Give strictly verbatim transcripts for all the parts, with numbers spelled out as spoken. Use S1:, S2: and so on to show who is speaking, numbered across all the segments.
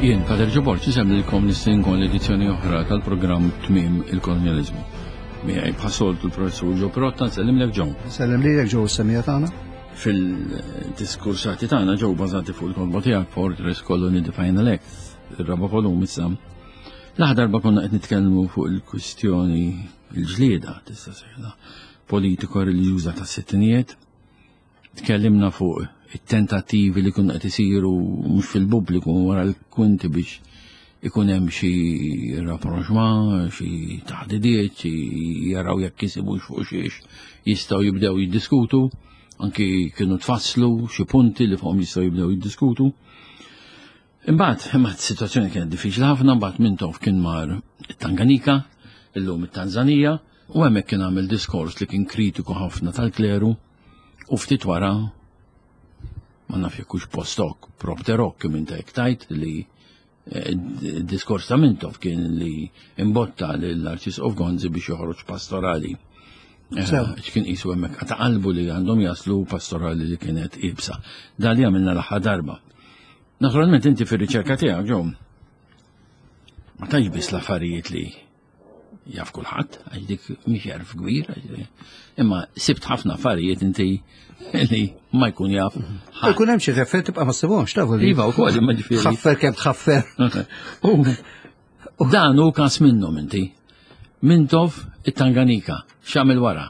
S1: Jien, Pater Ġoborġ, insellmilkom nistedinkom l-edizzjoni oħra tal-programm Tmiem il-Kolonjaliżmu. Miegħi bħas-soltu l-professur Joe Pirotta, nsellimlek, Joe.
S2: Sellem lilek, Joe, s-semmiegħa tagħna.
S1: Fil-diskursati tagħna, Joe, bażati fuq il-kotba tiegħek Fortress Colony The Final Act, ir-raba' volum issa. L-aħħar darba konna qed nitkellmu fuq il-kwistjoni, il-ġlieda, tista' sejħla, politiko-reliġjuża tas-sittinijiet. Tkellimna fuq it-tentattivi li kienu qed isiru mhux fil-pubbliku, wara l-kwinti, biex ikun hemm xi rapprochement, xi taħdidiet, xi jaraw jekk jisibux fuq xiex jistgħu jibdew jiddiskutu, anki kienu tfasslu xi punti li fuqhom jistgħu jibdew jiddiskutu. Imbagħad, imma s-sitwazzjoni kienet diffiċli ħafna. Imbagħad Mintoff kien mar it-Tanganika, illum it-Tanzanija, u hemmhekk kien għamel diskors li kien kritiku ħafna tal-kleru u ftit wara, ma naf jekk hux post hoc, propter hoc, kif inta hekk tajt li eh, diskors ta' Mintoff kien li imbotta l-Arċisqof Gonzi biex joħroġ pastorali. Eh,
S2: Sew.
S1: X'kien qisu hemmhekk ta' qalbu li għandhom jaslu pastorali li kienet iebsa. Dan li għamilna l-aħħar darba. Naturalment inti fir-riċerka tiegħek, Joe, ma tantx biss l-affarijiet li jaf kulħadd, għax dik mhix għerf kbir, għax- imma sibt ħafna affarijiet inti li ma jkun jaf ħadd.
S2: Ikun hemm xi ħeffer tibqa' ma ssibhomx, tafu li.
S1: Iva wkoll, imma ġifieri.
S2: Ħaffer kemm tħaffer.
S1: U dan hu każ minnhom inti. Mintoff it-Tanganika, x'għamel wara?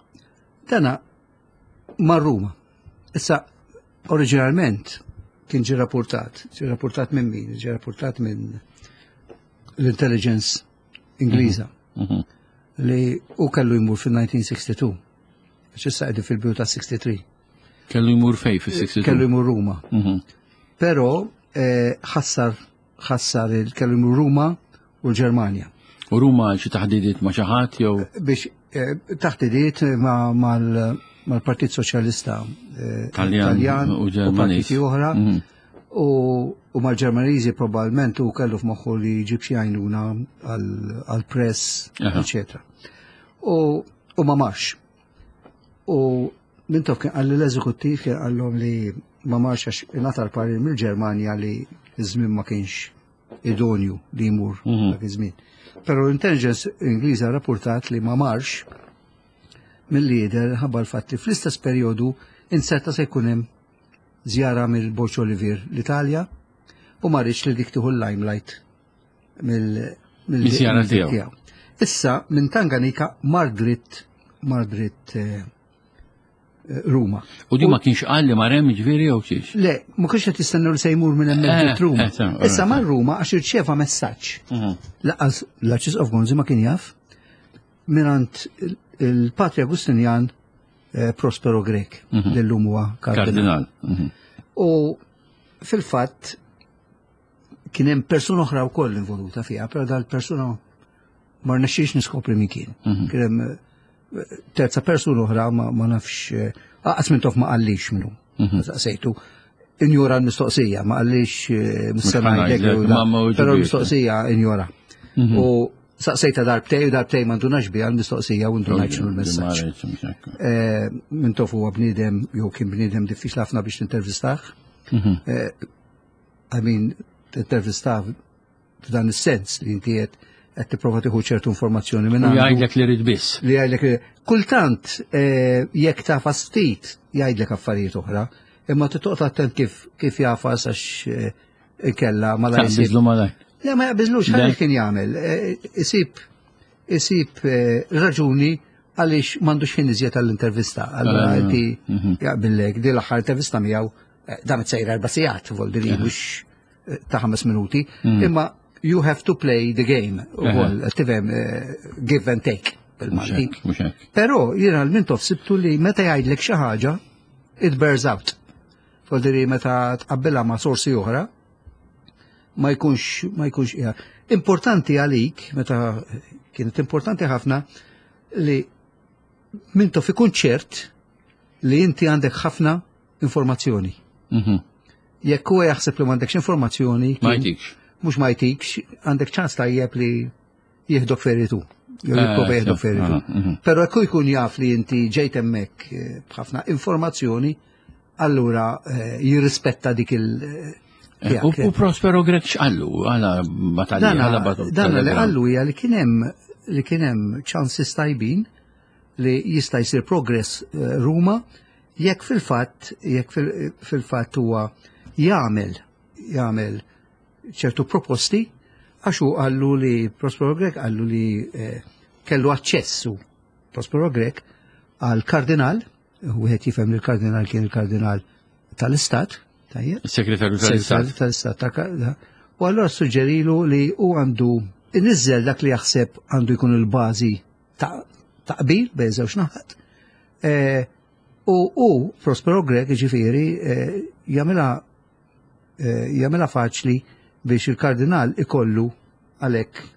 S2: Dana mar Ruma. Issa, oriġinalment kien ġi rapportat, ġi rapportat minn min? Ġi rapportat minn l-intelligence Ingliża
S1: Mhm.
S2: li u kellu jmur fil-elf disa' mija u sitta u sittin. Issa qegħdin fil-bidu ta' sitta u sittin.
S1: Kellu jmur fej fis-sitta u sittin?
S2: Kellu jmur Ruma.
S1: Mhm.
S2: Però eh, ħassar ħassar il kellu jmur Ruma u l-Ġermanja.
S1: U Ruma xi taħdidiet ma' xi ħadd jew?
S2: Biex eh, taħdidiet ma' mal- mal-Partit Soċjalista eh,
S1: Taljan u
S2: u
S1: Ġermaniż.
S2: partiti oħra
S1: Mhm.
S2: u, u mal-Ġermaniżi probabbilment u kellu f'moħħu li jġib xi għajnuna għal-press,
S1: Aha.
S2: eccetera. U, u ma marx. U Mintoff kien qalli l-eżekuttiv, kien qallhom li ma marx għax ingħata l-parir mill-Ġermanja li iż-żmien ma kienx idonju li jmur
S1: Mhm.
S2: dak iż-żmien. Però l-intelligence Ingliża rapportat li ma marx mill-lider ħabba l-fatt li fl-istess perjodu inserta se jkun hemm żjara mill-Borġ Olivier l-Italja u ma riedx li dik tieħu l-limelight mill mill-
S1: Miż-żjara
S2: mill-
S1: tiegħu.
S2: Issa minn Tanganika mar dritt mar dritt eh, eh, Ruma.
S1: U di ma kienx qal li mar hemm ġifieri jew xiex?
S2: Le, ma kienx qed jistennew li se jmur minn hemmhekk
S1: Eh,
S2: dritt Ruma.
S1: eh, sew,
S2: Issa
S1: eh,
S2: mar Ruma għax irċeva messaġġ.
S1: Mhm.
S2: Lanqas l-Arċisqof Gonzi ma kien jaf mingħand il-Patri Agustinjan eh, Prospero Grech,
S1: Mhm.
S2: li llum huwa kardinal.
S1: Kardinal. Mhm.
S2: U fil-fatt kien hemm persuna oħra wkoll involuta fiha, però dal-persuna ma rnexxiex niskopri min kien.
S1: Mhm.
S2: Kien hemm eh, terza persuna oħra, ma, ma nafx eh, aqas Mintoff ma qallix minnu.
S1: Mhm.
S2: Saqsejtu. Injora l-mistoqsija, ma qallix eh,
S1: Mhux
S2: missena
S1: ħa ngħidlek,
S2: ngħidlek,
S1: ma ma
S2: però
S1: weġibiex.
S2: l-mistoqsija injora.
S1: Mhm.
S2: U saqsejta darbtej u darbtej ma ndunax biha l-mistoqsija u ndunajt x'inhu l-messaġġ. Eh, Mintoff huwa bniedem, jew kien bniedem diffiċli ħafna biex tintervistah.
S1: Mhm.
S2: Eh, I mean, tintervistah f'dan is-sens li inti qed qed tipprova tieħu ċertu informazzjoni minn
S1: U
S2: għandu.
S1: jgħidlek li rid biss.
S2: Li jgħidlek li kultant eh, jekk tafas ftit jgħidlek affarijiet oħra, imma titoqgħod attent kif kif jafas għax eh, inkella ma la jsib.
S1: Taqbiżlu malaj.
S2: Le, ma jaqbiżlux,
S1: Le.
S2: ħalli kien jagħmel. Eh, Isib isib eh, raġuni għaliex m'għandux ħin iżjed għall-intervista. Allura
S1: Ah,
S2: inti
S1: mhm.
S2: jaqbillek di l-aħħar intervista miegħu eh, damet sejra erba' sigħat, voldiri mhux eh, ta' ħames minuti,
S1: Mm.
S2: imma you have to play the game ukoll, tifhem, eh, give and take bil-Malti.
S1: Mhux hekk, mhux hekk.
S2: Però jiena l-Mintoff sibtu li meta jgħidlek xi ħaġa, it bears out. Voldiri meta tqabbilha ma' sorsi oħra, ma jkunx ma jkunx qiegħed. Importanti għalik, meta kienet importanti ħafna li Mintoff ikun ċert li inti għandek ħafna informazzjoni.
S1: Mhm.
S2: Jekk huwa jaħseb li m'għandekx informazzjoni,
S1: Ma
S2: kien-
S1: jtikx.
S2: mhux ma jtikx, għandek ċans tajjeb li jieħdok feritu. Jew
S1: Eh,
S2: jipprova jieħdok
S1: sew,
S2: feritu.
S1: ah, mhm.
S2: Però jekk jkun jaf li inti ġejt hemmhekk eh, b'ħafna informazzjoni, allura eh, jirrispetta dik il-
S1: Eh, u Prospero Grech x'qallu għala batalja għala
S2: batalja. Dana li qallu hija li kien hemm li kien hemm ċansi tajbin li jista' jsir progress eh, Ruma jekk fil-fatt jekk fil-fatt huwa jagħmel jagħmel ċertu proposti, għax hu qallu li Prospero Grech qallu li eh, kellu aċċessu Prospero Grech għal kardinal, wieħed jifhem li l-kardinal kien il-kardinal tal-Istat,
S1: tajjeb? Segretarju tal-Istat.
S2: Tal-Istat. U allura suġġerilu li hu għandu inniżżel dak li jaħseb għandu jkun il-bażi ta' qbil bejn żewġ naħat. U u Prospero Grech ġifieri jagħmilha jagħmilha faċli biex il-kardinal ikollu għalhekk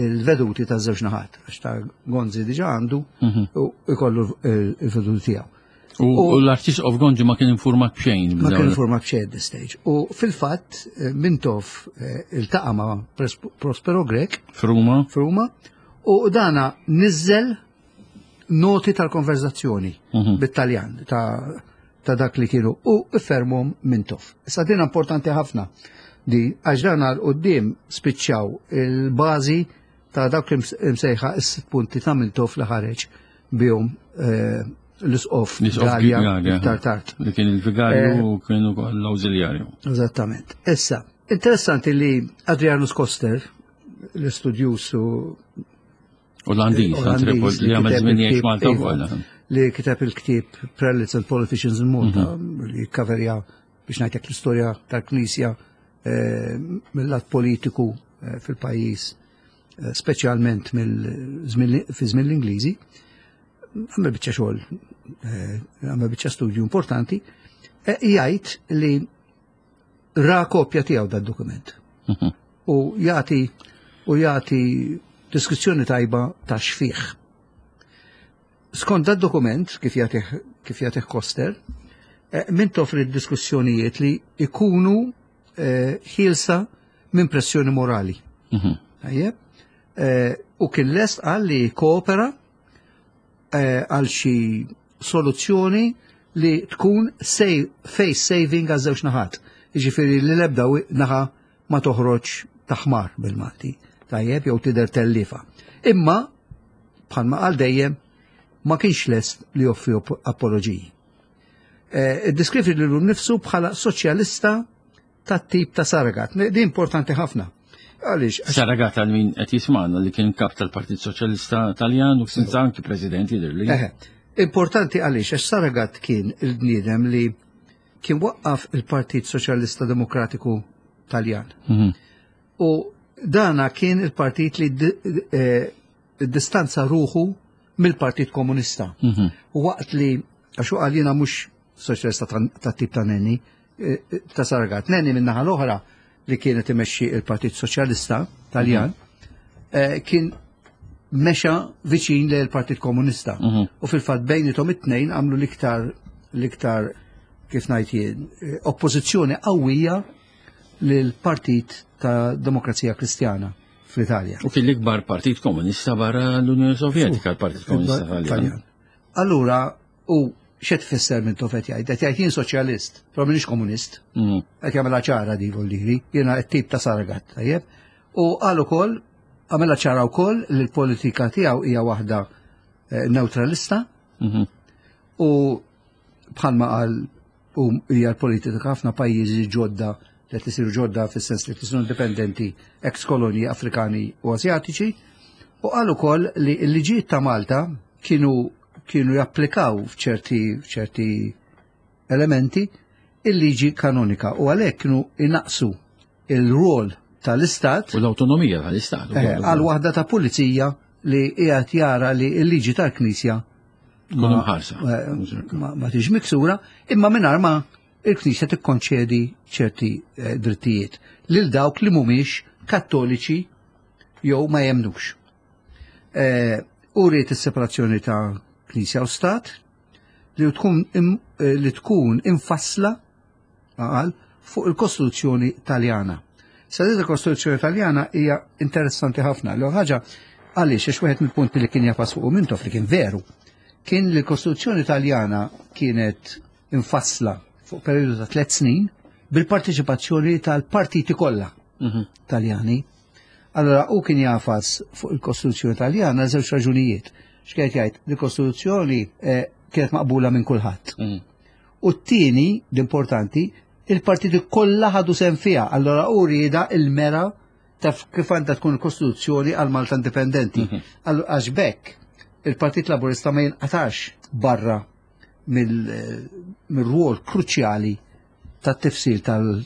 S2: il-veduti ta' żewġ naħat, għax ta' Gonzi diġa għandu u ikollu il-veduti tiegħu.
S1: U l-Arċisqof Gonzi ma kien informat b'xejn.
S2: Ma kien informat b'xejn at this stage. U fil-fatt Mintoff iltaqa' ma' Prospero Grech
S1: f'Ruma.
S2: F'Ruma u dana niżel noti tal-konverzazzjoni bit-Taljan ta' ta' dak li kienu u fermhom Mintoff. Issa din importanti ħafna di għax dan għal quddiem spiċċaw il-bażi ta' dawk li msejħa is-sitt punti ta' Mintoff li ħareġ bihom l-isqof Gallia iktar tard.
S1: Li kien il-vigarju u kien ukoll l-awżiljarju.
S2: Eżattament. Issa, interessanti li Adrianus Koster, l-istudjus u
S1: Olandiż, li għamel żmien jgħix Malta wkoll.
S2: Li kiteb il-ktieb Prelates and Politicians in Malta, li kaverja biex ngħidlek l-istorja tal-Knisja mill-lat politiku fil-pajjiż, speċjalment fi żmien l-Ingliżi, għamel biċċa xogħol, għamel biċċa studju importanti, jgħid li ra kopja tiegħu dad-dokument. U jagħti u jagħti deskrizzjoni tajba ta' xfih. Skont dad-dokument, kif jagħtih kif jagħtih Koster, Mintoff li diskussjonijiet li ikunu ħielsa minn pressjoni morali. Tajjeb? U kien lest qal li koopera għal xi soluzzjoni li tkun face saving għal żewġ naħat. Jiġifieri li l-ebda naħa ma toħroġ taħmar bil-Malti, tajjeb, jew tidher tellifa. Imma bħalma qal dejjem ma kienx lest li joffri apologiji. Iddeskrivi lilu nnifsu bħala soċjalista tat-tip ta' Saragat. Di importanti ħafna. Għaliex?
S1: Saragat għal min qed jismagħna li kien kap tal-Partit Soċjalista Taljan u kien anki president jidhirli.
S2: Importanti għaliex għax Saragat kien il-bniedem li kien waqqaf il-Partit Soċjalista Demokratiku Taljan. U dana kien il-partit li distanza ruħu mill-Partit Komunista. U waqt li, għax u qal jiena mhux soċjalista ta' tip ta' Nenni, ta' Saragat. Nenni min-naħa l-oħra li kienet imexxi il-Partit Soċjalista Taljan, kien mexa viċin lejn il-Partit Komunista. U fil-fatt bejnithom it-tnejn għamlu l-iktar l-iktar kif ngħid jien, oppożizzjoni qawwija lill-Partit ta' Demokrazija Kristjana fl-Italja.
S1: U kien l-ikbar Partit Komunista barra l-Unjoni Sovjetika, l-Partit Komunista Taljan.
S2: Allura, u x'qed tfisser Mintoff qed jgħid? Qed jgħid jien soċjalist, però m'iniex komunist. Qed jagħmilha ċara di voldiri, jiena t-tip ta' Saragat, tajjeb. U qal ukoll, għamilha ċara wkoll li l-politika tiegħu hija waħda neutralista. U bħalma qal u hija l-politika ħafna pajjiżi ġodda li qed isiru ġodda fis-sens li isiru indipendenti ex kolonji Afrikani u Asjatiċi. U qal ukoll li l-liġijiet ta' Malta kienu kienu japplikaw f'ċerti f'ċerti elementi il-liġi kanonika u għalhekk kienu inaqsu il-rol tal-Istat
S1: u l-awtonomija tal-Istat
S2: għal waħda ta' pulizija li qiegħed jara li l-liġi tal-Knisja ma tiġ miksura, imma mingħajr ma il-Knisja tikkonċedi ċerti drittijiet lil dawk li mhumiex kattoliċi jew ma jemnux. U rrid is-separazzjoni ta' Knisja u Stat li tkun li tkun infassla għal fuq il-Kostituzzjoni Taljana. Sa din il-Kostituzzjoni Taljana hija interessanti ħafna. L ħaġa għaliex għax wieħed mill-punti li kien jafas fuq Mintoff li kien veru kien li l-Kostituzzjoni Taljana kienet infassla fuq periodu ta' tliet snin bil-parteċipazzjoni tal-partiti kollha
S1: Mhm.
S2: Taljani. Allora, u kien jafas fuq il-Kostituzzjoni Taljana żewġ raġunijiet. X'kienet jgħid? Il-Kostituzzjoni eh, kienet maqbula minn kulħadd.
S1: Mhm.
S2: U t-tieni, l-importanti, il-partiti kollha ħadu sehem fiha. Allora u rieda il-mera ta' kif għandha tkun il-Kostituzzjoni għal Malta Indipendenti. Allora għax bekk il-Partit Laburista ma jinqatax barra mill- mill-rwol kruċjali tat-tifsil tal-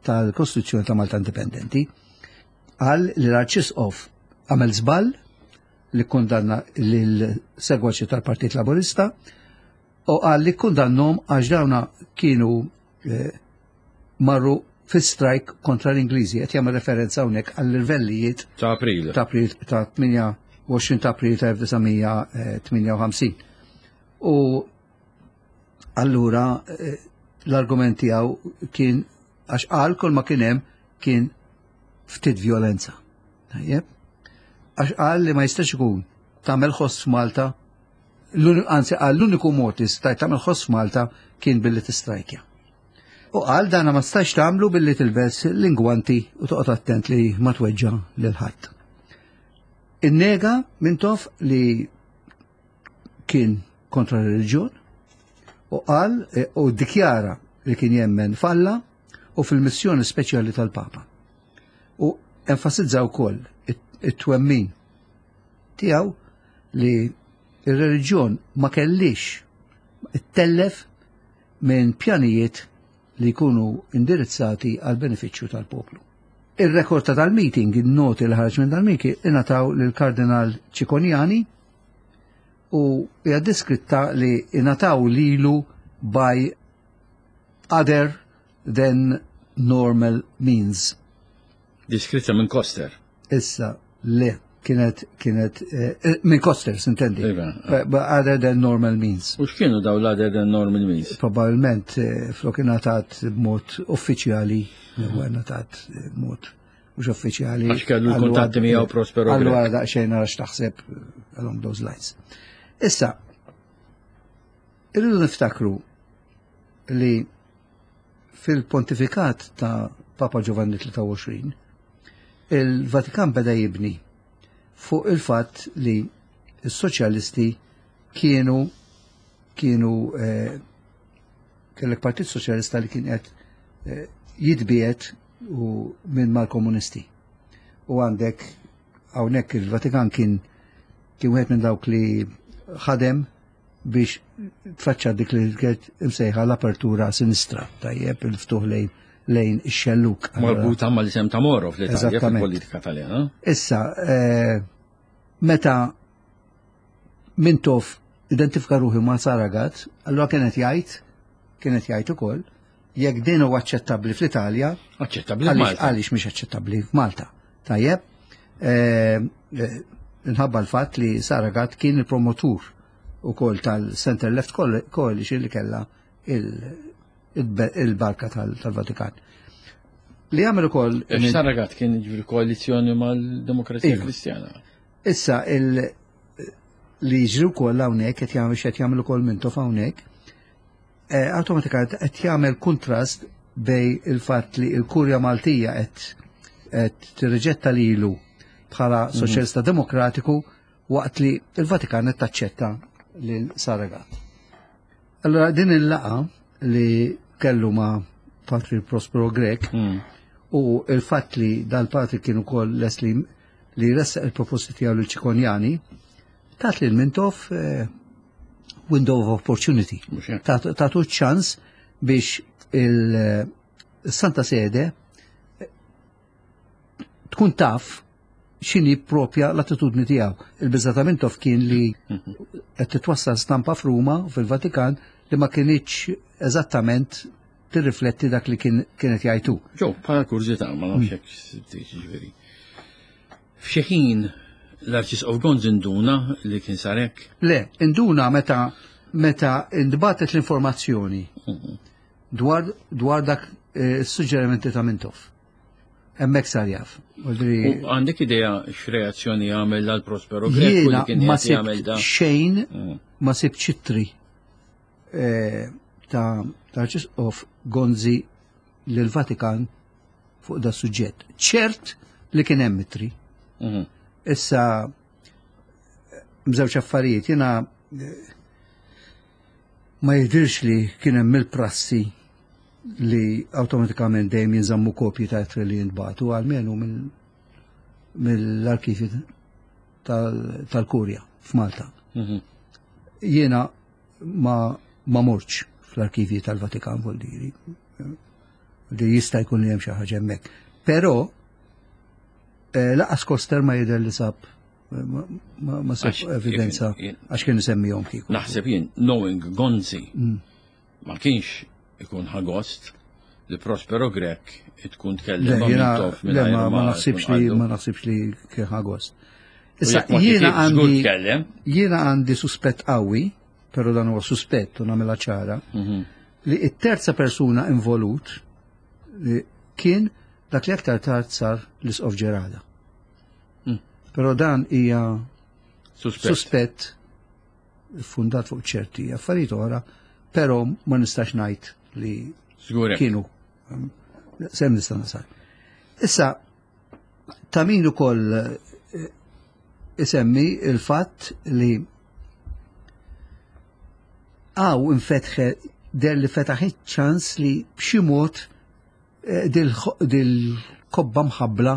S2: tal-Kostituzzjoni ta' Malta Indipendenti. Qal li l-Arċisqof għamel żball li kundanna lil-segwaċi tal-Partit Laburista u qal li kundannahom għax dawna kienu eh, marru fi strike kontra l-Ingliżi, qed jagħmel referenza hawnhekk għall-irvellijiet
S1: Ta' April.
S2: ta' April ta' tmienja u għoxrin ta' April ta' elf disa' mija tmienja u ħamsin. U allura eh, l-argument tiegħu kien għax qal kull ma kien hemm kien ftit violenza. Tajjeb? Għax qal li ma jistax ikun tagħmel ħoss f'Malta, l-uni- anzi qal l-uniku mod li stajt tagħmel ħoss f'Malta kien billi tistrajkja. U qal dana ma stax tagħmlu billi tilbes l-ingwanti u toqgħod attent li ma tweġġa lil ħadd. Innega Mintoff li kien kontra r-reliġjon u qal e, u dikjara li kien jemmen f'Alla u fil-missjoni speċjali tal-Papa. U enfasizza wkoll it- it-twemmin tiegħu li ir-reliġjon ma kellix ittellef minn pjanijiet li jkunu indirizzati għal benefiċċju tal-poplu. Ir-rekord ta' tal-meeting, il-noti li ħarġ minn dal-meeting, ingħataw lil-Kardinal Cicognani u hija diskritta li ingħataw lilu by other than normal means.
S1: Diskritta minn Koster.
S2: Issa, le, kienet, kienet, eh, eh, minn Koster, s'intendi.
S1: Iva.
S2: But, but other than normal means.
S1: U x'kienu daw l-other than normal means?
S2: Probabilment eh, flok ingħatat b'mod uffiċjali, u ingħatat eh, b'mod mhux uffiċjali.
S1: Għax kellu l-kuntatti miegħu Prospero Grech.
S2: Allura daqsxejn nara x'taħseb eh, along those lines. Issa, irridu niftakru li fil-pontifikat ta' Papa Giovanni tlieta u għoxrin, il-Vatikan beda jibni fuq il-fatt li s-soċjalisti kienu kienu eh, kellek Partit Soċjalista li kien qed eh, jitbiet u minn mal-komunisti. U għandek hawnhekk il-Vatikan kien kien wieħed minn dawk li ħadem biex tfaċċa dik li kienet imsejħa l-apertura sinistra, tajjeb, il-ftuħ lejn lejn ix-xelluk.
S1: Marbuta mal-isem ta' Moro fl-Italja,
S2: Eżattament.
S1: fil-politika taljana.
S2: Issa, eh, meta Mintoff identifika ruħi ma' Saragat, allora kienet jgħid, kienet jgħid ukoll, jekk din huwa aċċettabbli fl-Italja,
S1: Aċċettabbli
S2: għaliex
S1: Malta.
S2: għaliex mhix aċċettabbli f'Malta. Tajjeb, eh, eh, minħabba l-fatt li Saragat kien il-promotur ukoll tal-Center Left Coalition li kella il- il- il-barka tal- tal-Vatikan. Li għamel ukoll
S1: Għax Saragat kien ġifieri koalizjoni mal-Demokrazija
S2: Iva.
S1: Kristjana.
S2: Issa il li jiġri wkoll hawnhekk qed jagħmel x'qed jagħmel ukoll Mintoff hawnhekk, eh, awtomatikament qed jagħmel kuntrast bejn il-fatt li l-Kurja Maltija qed qed tirriġetta lilu bħala soċjalista demokratiku waqt li il-Vatikan qed taċċetta lil Saragat. Allora din il-laqgħa li kellu ma' Patri Prospero Grech
S1: Mm.
S2: u il-fatt li dal-patri kienu kol les li li ressaq il-proposti tiegħu lil Cicognani, tat lil Mintoff eh, window of opportunity.
S1: Mhux hekk.
S2: Tatu tatu ċans biex il-Santa Sede eh, tkun taf x'inhi propja l-attitudni tiegħu. Il-biża ta' Mintoff kien li qed titwassal stampa f'Ruma u fil-Vatikan li ma kinitx eżattament tirrifletti dak li kien kienet jgħidu.
S1: Ġo, bħala kurżità, ma nafx hekk sibtix ġifieri. F'xi ħin l-Arċisqof Gonzi induna li kien sar hekk.
S2: Le, induna meta meta intbagħtet l-informazzjoni dwar dwar dak eh, suġġerimenti ta' Mintoff. Hemmhekk sar jaf.
S1: U
S2: Vuol
S1: għandek idea x'reazzjoni għamel għal Prospero Grech u li
S2: Jiena
S1: kien
S2: ma
S1: qed jagħmel
S2: sibt
S1: da.
S2: xejn,
S1: Mm.
S2: ma sibt ċittri eh, ta' ta' Arċisqof Gonzi lill-Vatikan fuq da suġġett. Ċert li kien hemm ittri.
S1: Mhm.
S2: Issa żewġ affarijiet, jiena eh, ma jidirx li kien hemm il-prassi li awtomatikament dejjem jinżammu kopji ta' ittri li jintbagħtu, almenu mill-arkivi tal-Kurja f'Malta.
S1: Mhm.
S2: Jiena ma ma mortx fl-arkivi tal-Vatikan, vuol dire li jista' jkun li hemm xi ħaġa hemmhekk. Però eh, lanqas Koster ma jidher li sab ma, ma, ma sab
S1: Għax,
S2: evidenza
S1: jien-
S2: għax kien isemmihom kieku.
S1: Naħseb jien, knowing Gonzi,
S2: Mm.
S1: ma kienx ikun ħa gost li Prospero Grech tkun
S2: Le,
S1: tkellem ma'
S2: jiena,
S1: Mintoff
S2: le,
S1: mingħajr
S2: ma, ma naħsibx
S1: tkun
S2: li
S1: qallu.
S2: ma naħsibx li kien ħa gost.
S1: U
S2: Issa
S1: jekk ma
S2: jiena
S1: kitibx, żgur
S2: għandi
S1: tkellem.
S2: jiena għandi suspett qawwi, però dan huwa suspett u nagħmilha ċara,
S1: Mhm.
S2: li it-terza persuna involut li kien dak li aktar tard sar l-Isqof Gerada.
S1: Mm.
S2: Però dan hija
S1: Suspett.
S2: suspett fundat fuq ċerti affarijiet oħra, però ma nistax ngħid li
S1: Żgur hekk.
S2: kienu um, sem nista' nasal. Issa ta' min ukoll eh, isemmi il-fatt li għaw infetħe der li fetaħ ċans li b'xi mod eh, dil-kobba mħabbla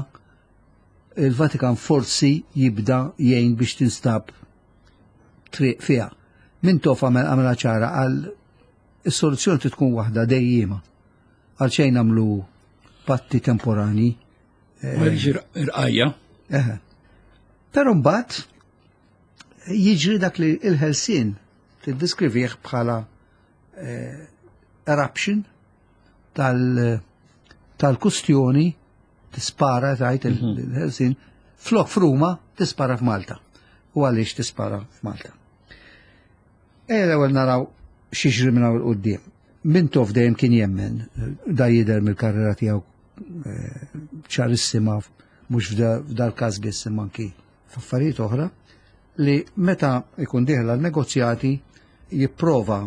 S2: il-Vatikan forsi jibda jgħin biex tinstab triq fiha. Mintoff għamel għamela ċara għal is-soluzzjoni trid tkun waħda dejjima. Għal xejn nagħmlu patti temporani.
S1: Ma jiġi irqajja.
S2: Eħe. Però mbagħad jiġri dak li il-Ħelsien tiddiskrivih bħala eh, eruption tal- tal-kustjoni tispara tajt il-Ħelsien flok f'Ruma tispara f'Malta. U għaliex tispara f'Malta? Ejja l-ewwel naraw x'jiġri minn hawn 'il quddiem. Mintoff dejjem kien jemmen, da jidher mill-karriera tiegħu eh, ċarissima mhux f'dal każ biss imma anki f'affarijiet oħra, li meta ikun dieħel għal negozjati jipprova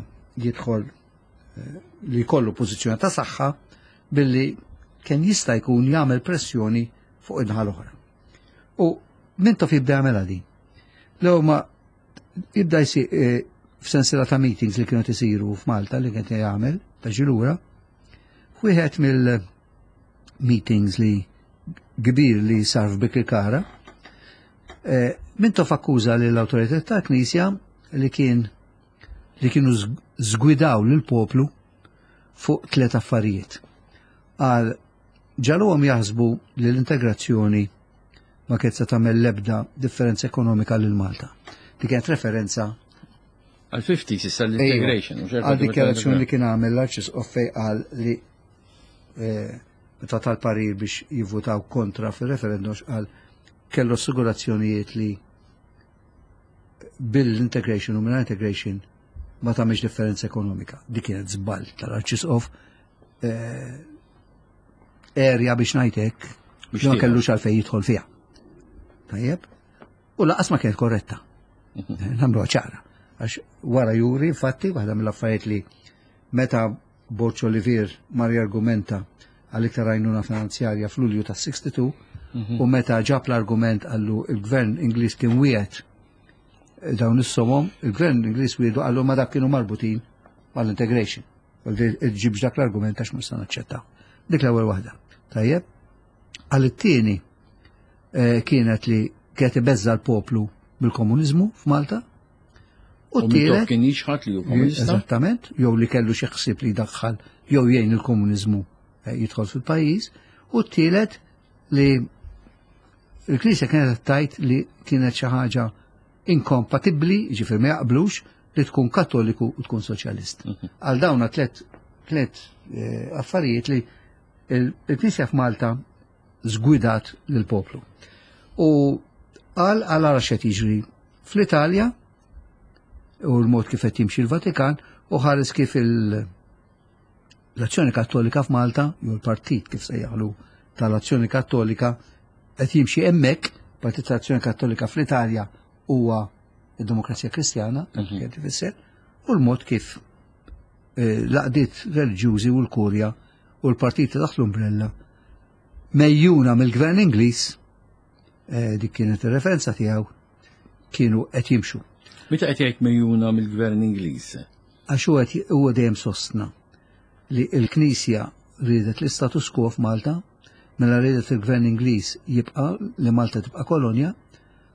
S2: jidħol eh, li jkollu pożizzjoni ta' saħħa billi kien jista' jkun jagħmel pressjoni fuq in-naħa l-oħra. U Mintoff jibda jagħmel din. L ma jibda jsir eh, f'sensiela ta' meetings li kienu isiru f'Malta li kien jagħmel ta' ġilura, wieħed mill-meetings li kbir li sar f'Birkirkara, eh, Mintoff akkuża li l-autorità ta' Knisja li kien li kienu żgwidaw lil poplu fuq tliet affarijiet. Għal ġagħluhom jaħsbu li l-integrazzjoni ma kienet se tagħmel l-ebda differenza ekonomika lil Malta. Di kienet referenza
S1: Għal fifties issa l-integration.
S2: Għal dikjarazzjoni li kien għamel l-Arċisqof fej qal li eh, meta tal-parir biex jivvutaw kontra fil-referendum, qal kellu assigurazzjonijiet li bil-integration u minn integration ma tagħmilx differenza ekonomika. Dik kienet żball tal-Arċisqof, eh, area biex ngħidlek
S1: Biex
S2: ma
S1: tieħu.
S2: kellux għalfejn jidħol fiha. Tajjeb? U lanqas ma kienet korretta. Nagħmluha ċara. Għax wara juri, infatti, waħda mill-affarijiet li meta Borg Olivier mar jargumenta għal iktar għajnuna finanzjarja fl-Ulju ta' sitta u sittin u meta ġab l-argument għallu il-gvern Ingliż kien wiegħed dawn is-somom, il-gvern Ingliż wiedu għallu ma dak kienu marbutin mal-integration. Ġibx dak l-argument għax mhux se naċċettaw. Dik l-ewwel waħda. Tajjeb? Għal it-tieni eh, kienet li kienet ibeżza l-poplu bil-komuniżmu f'Malta. U
S1: U Mintoff
S2: t-tielet
S1: kien jixħat li hu komunista.
S2: Eżattament, jew li kellu xi ħsieb li jdaħħal jew jgħin il-komuniżmu eh, jidħol fil-pajjiż. U t-tielet li il-Knisja kienet tajt li kienet xi ħaġa inkompatibbli, ġifier ma jaqblux li tkun kattoliku u tkun soċjalist. Għal dawna tlet tlet eh, affarijiet li il- il-Knisja f'Malta żgwidat lill-poplu. U għal għal ara x'qed jiġri fl-Italja u l-mod kif qed jimxi l-Vatikan u ħares kif il- l-Azzjoni Kattolika f'Malta, jew l-partit kif sejjaħlu tal-Azzjoni Kattolika qed jimxi hemmhekk. Partit tal-Azzjoni Kattolika fl-Italja huwa id-Demokrazija Kristjana, kien ifisser, u l-mod kif eh, l-għaqdiet reliġjużi u l-kurja u l-partiti taħt l-umbrella mejjuna mill-gvern Ingliż, eh, dik kienet ir-referenza tiegħu, kienu qed jimxu.
S1: Meta qed jgħid mejjuna mill-gvern Ingliż?
S2: Għax huwa huwa dejjem sostna li l-Knisja riedet l-istatus quo f'Malta, mela riedet il-gvern Ingliż jibqa' li Malta tibqa' kolonja,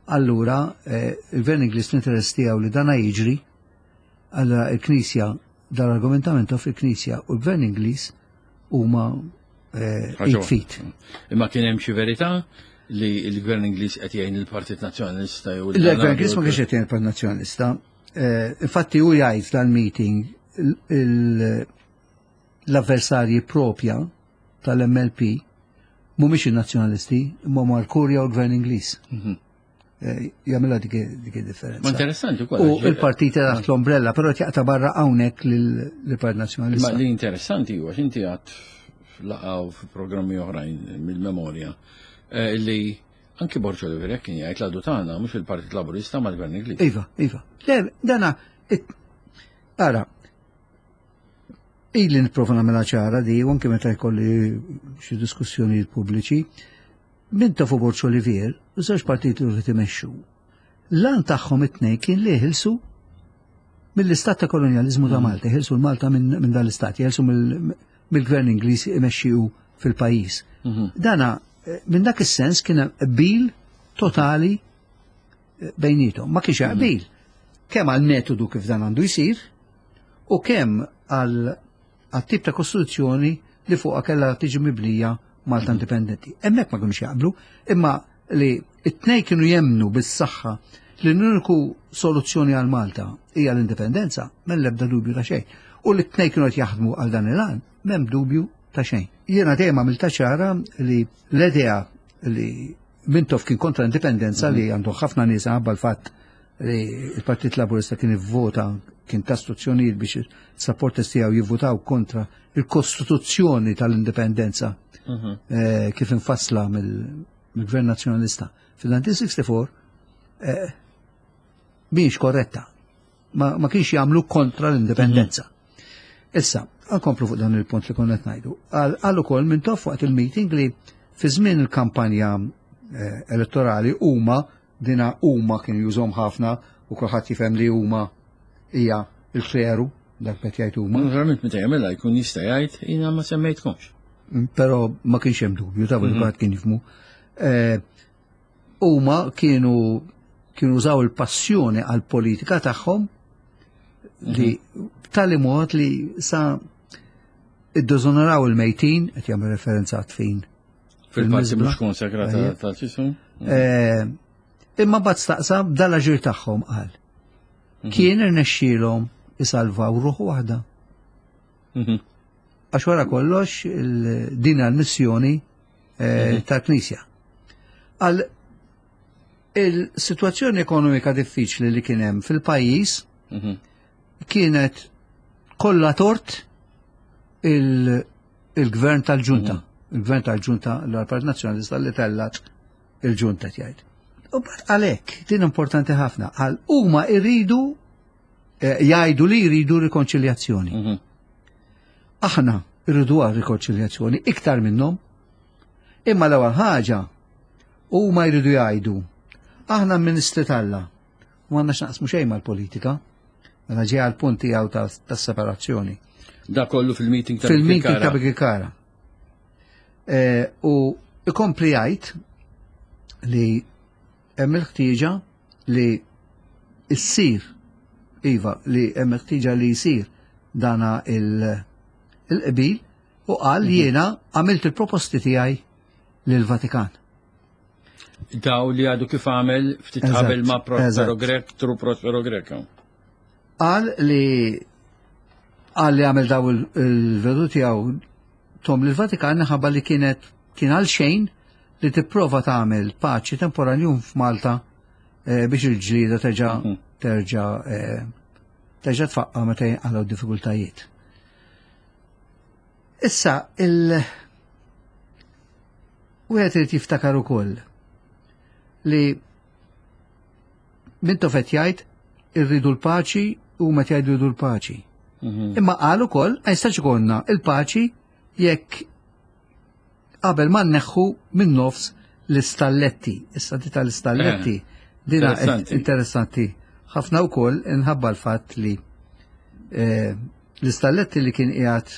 S2: allura eh, il-gvern Ingliż l-interess tiegħu li dana jiġri, allura il-Knisja dal-argumentament fil-Knisja u l-gvern Ingliż huma eh,
S1: Ħaġa
S2: id fit.
S1: Imma kien hemm xi verità li l-gvern Ingliż qed jgħin il-Partit Nazzjonalista jew
S2: Il-gvern Ingliż ma kienx qed jgħin il-Partit Nazzjonalista. Eh, Infatti hu jgħid dal-meeting il- l-avversarji propja tal-M L P mhumiex in-nazzjonalisti, imma huma l-Kurja u l-Gvern Ingliż.
S1: Mhm.
S2: Eh, Jagħmilha dik dik id-differenza.
S1: Ma interessanti wkoll.
S2: U il-partiti taħt l-ombrella, però jaqta' barra hawnhekk lill-Partit
S1: Ma
S2: Nazzjonalista.
S1: li interessanti huwa x'inti għad f'laqgħa f'programmi oħrajn mill-memorja eh, li anki Borg Olivier kien jgħid l-għadu tagħna mhux il-Partit Laburista ma l-Gvern Ingliż.
S2: Iva, iva. Le, dana, it- ara, ili nipprova nagħmilha ċara di, u anke meta jkolli xi diskussjonijiet pubbliċi, Mintoff u Borg Olivier, żewġ partiti li qed imexxu. L-għan tagħhom it-tnejn kien li jeħilsu mill-istat ta' kolonjalizmu ta' Malta, jeħilsu l-Malta minn min dan l-istat, jeħilsu mill- mill-gvern Ingliż imexxiju fil-pajjiż.
S1: Mhm.
S2: Dana, eh, minn dak is-sens kien hemm qbil totali eh, bejnietom. Ma kienx hemm qbil. Kemm għal metodu kif dan għandu jsir u kemm għal għal tip ta' kostituzzjoni li fuqha kellha tiġi mibnija Malta indipendenti. Hemmhekk ma kinux jaqblu, imma li it-tnejn kienu jemnu bis-saħħa li l-uniku soluzzjoni għal Malta hija l-indipendenza, m'hemm l-ebda dubju ta' xejn. U li t-tnejn kienu qed jaħdmu għal dan il-għan, m'hemm dubju ta' xejn. Jiena dejjem għamilta ċara li l-idea li Mintoff kien kontra l-indipendenza, li għandu ħafna nies għabba l-fatt li il-Partit Laburista kien ivvota, kien ta istruzzjonijiet biex il-supporters tiegħu jivvotaw kontra il-Kostituzzjoni tal-Indipendenza
S1: Mhm.
S2: eh, kif infassla mill- mill-Gvern Nazzjonalista fil-elf disa' mija u sitta u sittin eh, mhix korretta. Ma, ma kienx jagħmlu kontra l-indipendenza. Issa, nkomplu fuq dan il-punt li konna qed ngħidu. Qal ukoll Mintoff waqt il-meeting li fi żmien il-kampanja eh, elettorali huma, dina huma kienu jużhom ħafna u kulħadd jifhem li huma hija il-kleru, dak qed jgħid huma.
S1: Naturalment meta jagħmilha jkun jista' jgħid jiena ma semmejtkomx.
S2: Pero ma kienx hemm dubju ta' mm -hmm. kien jifhmu. Eh, Huma kienu kienu użaw il-passjoni għal politika tagħhom li b'tali mod li sa iddiżonoraw il-mejtin, qed jagħmel referenza għat-tfin.
S1: Fil-parti
S2: Fil-miżbla.
S1: mhux konsekrata
S2: Ejja.
S1: tal-ċisum.
S2: Eh, Imma bad staqsa b'dal-aġir tagħhom qal. Kien irnexxielhom isalvaw ruħ waħda.
S1: Mhm.
S2: Għax wara kollox il- din għal-missjoni eh, tal-Knisja. Għal il-situazzjoni ekonomika diffiċli li kien hemm fil-pajjiż
S1: Mhm.
S2: kienet kollha tort il- il-gvern tal-ġunta. Il-gvern tal-ġunta l-Partit Nazzjonalista li tellat il-ġunta jgħid. U bad għalhekk, din importanti ħafna, għal huma jridu eh, jgħidu li jridu rikonċiljazzjoni.
S1: Mhm.
S2: Aħna irridu għal rikonċiljazzjoni iktar minnhom. Imma l-ewwel ħaġa huma jridu jgħidu aħna ministri t'Alla u m'għandna x'naqsmu xejn mal-politika. Mela ġej għal punt tiegħu tas-separazzjoni.
S1: Da kollu fil-meeting ta'
S2: Fil-meeting
S1: Birkirkara.
S2: ta' Birkirkara. Eh, U ikompli jgħid li hemm il-ħtieġa li issir, iva, li hemm il-ħtieġa li jsir dana il- il-qbil u qal li jiena għamilt il-proposti tiegħi lill-Vatikan.
S1: Daw li għadu kif għamel ftit
S2: Eżatt,
S1: qabel ma' Prospero
S2: eżatt.
S1: Grech, Tru Prospero Grech.
S2: Qal li qal li għamel daw il- il-vedu tiegħu tom lill-Vatikan ħabba li kienet kien għal xejn li tipprova tagħmel paċi temporanjum f'Malta eh, biex il-ġlieda terġa'
S1: Mhm.
S2: terġa' eh, terġa' tfaqqa meta jinqalgħu diffikultajiet. Issa il wieħed irid jiftakar ukoll li Mintoff qed jgħid irridu l-paċi u meta jgħidu rridu l-paċi.
S1: Mhm.
S2: Imma qal ukoll ma jistax ikollna il-paċi Jekk qabel ma nneħħu minn nofs l-istalletti. Issa di tal-istalletti
S1: Eh,
S2: dina
S1: interessanti.
S2: Interessanti. Ħafna wkoll inħabba l-fatt li eh, l-istalletti li kien qiegħed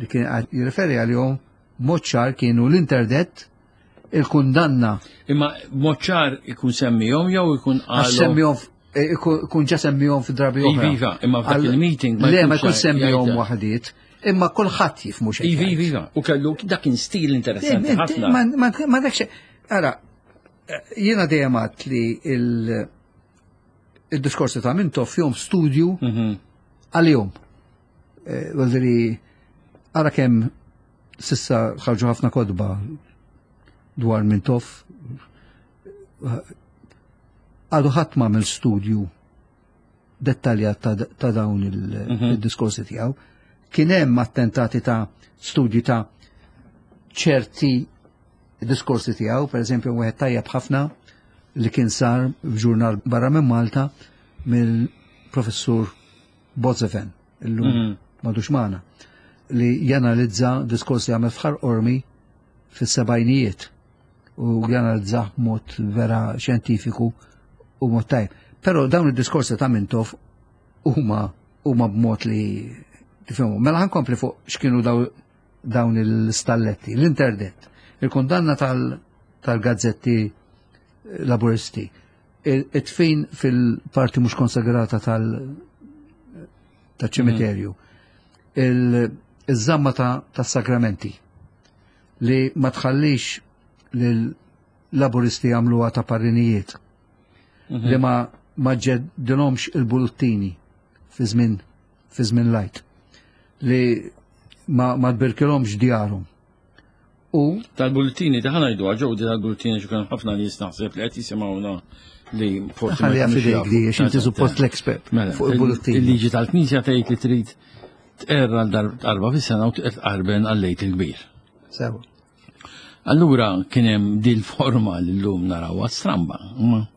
S2: li kien qiegħed jirreferi għalihom mod ċar kienu l-interdett, il-kundanna.
S1: Imma mod ċar ikun semmihom jew ikun
S2: għax
S1: qalu.
S2: Semmihom eh, ikun ikun ġa semmihom fi drabi oħra.
S1: Iva, imma f'dak
S2: Għal-
S1: il-meeting ma
S2: Le, ma
S1: jkunx
S2: jkun semmihom
S1: jgħidha.
S2: waħdiet, imma kulħadd jifhmu xejn.
S1: Iva, iva, iva. U kellu dak kien stil interessanti ħafna.
S2: Ma ma- ma dakx. Ara, jiena dejjem għedt li il- il-diskorsi ta' Mintoff fihom studju
S1: Mhm.
S2: għalihom. Eh, Vuol ara kemm s'issa ħarġu ħafna kotba dwar Mintoff. Għadu ħadd m'għamel studju dettaljat ta', ta' dawn il-
S1: Mhm.
S2: il-diskorsi tiegħu. Kien hemm attentati ta' studji ta' ċerti diskorsi tiegħu, per eżempju wieħed tajjeb ħafna li kien sar f'ġurnal barra minn Malta mill-professur Bozeven, illum
S1: Mhm.
S2: m'għadux magħna, li janalizza diskorsi għamel f'Ħal Qormi fis-sebgħinijiet u janalizza mod vera xjentifiku u mod tajb. Però dawn id-diskorsi ta' Mintoff huma huma b'mod li tifhmu. Mela ħa nkompli fuq x'kienu daw, dawn il-stalletti, l-interdett, il-kundanna tal- tal-gazzetti laburisti, it-tfin fil-parti mhux konsagrata tal- tal-ċimiterju, il- iż-żamma ta' tas-sagramenti li ma tħallix lil-laburisti jagħmluha ta' parrinijiet,
S1: Mhm.
S2: li ma ma ġeddilhomx il-bulettini fi żmien fi żmien l-Għid, li ma ma tbirkilhomx djarhom. U
S1: Tal-bullettini, ta' ħa ngħidu ġew di tal-bullettini xi kien ħafna nies naħseb li qed jisimgħuna li forsi ma
S2: ħalliha
S1: jkunux
S2: f'idejk
S1: jafu.
S2: di, għax inti
S1: Eżatt,
S2: suppost l-expert
S1: Mela,
S2: fuq il-bullettini.
S1: Il-liġi tal-Knisja tgħid li trid tqerr għal darba fis-sena u tqarben għal-Għid il-Kbir.
S2: Sewa.
S1: Allura kien hemm dil forma li llum narawha stramba. ma,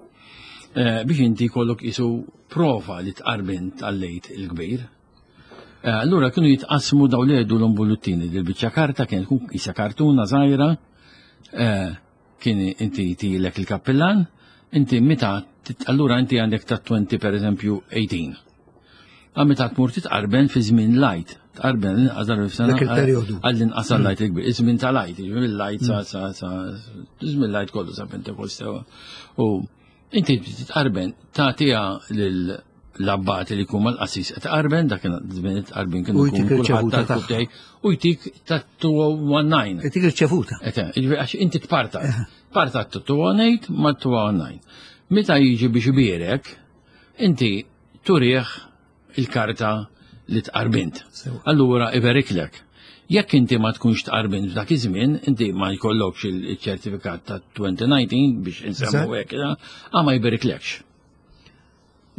S1: eh, Biex inti jkollok isu prova li tqarbint għal-Għid il-Kbir. Eh, Allura kienu jitqasmu daw li jgħidu l-bullettini, dil biċċa karta kien tkun isa kartuna żgħira, eh, kien inti tilek il-kappillan, inti meta tit- allura inti għandek ta' twenty per eżempju eighteen. Għal meta tmur titqarben fi żmien l-Għid, tqarben l-inqas darba f'sena
S2: Dak il-perjodu.
S1: għall-inqas għall-Għid il-Kbir, iż-żmien tal-Għid, jiġifieri l-Għid sa sa sa żmien l-Għid kollu sa Pentekoste. U inti titqarben tagħtiha lil l-abbati li jkun mal-qassis tqarben, dak żmien tqarbin kienu
S2: U jtik
S1: jkun kulħadd
S2: irċevuta
S1: tal-kubtej, u jtik ta' two oh nine.
S2: Jtik irċevuta.
S1: Ete, jiġifieri għax inti tpartat. Partat ta' two oh eight ma' two oh nine. Meta jiġi biex ibierek, inti turih il-karta li tqarbint.
S2: Sewa.
S1: Allura iberiklek. Jekk inti ma tkunx tqarbint f'dak iż-żmien, inti ma jkollokx il-ċertifikat ta' twenty nineteen biex insemmu hekk, ah, ma jberiklekx.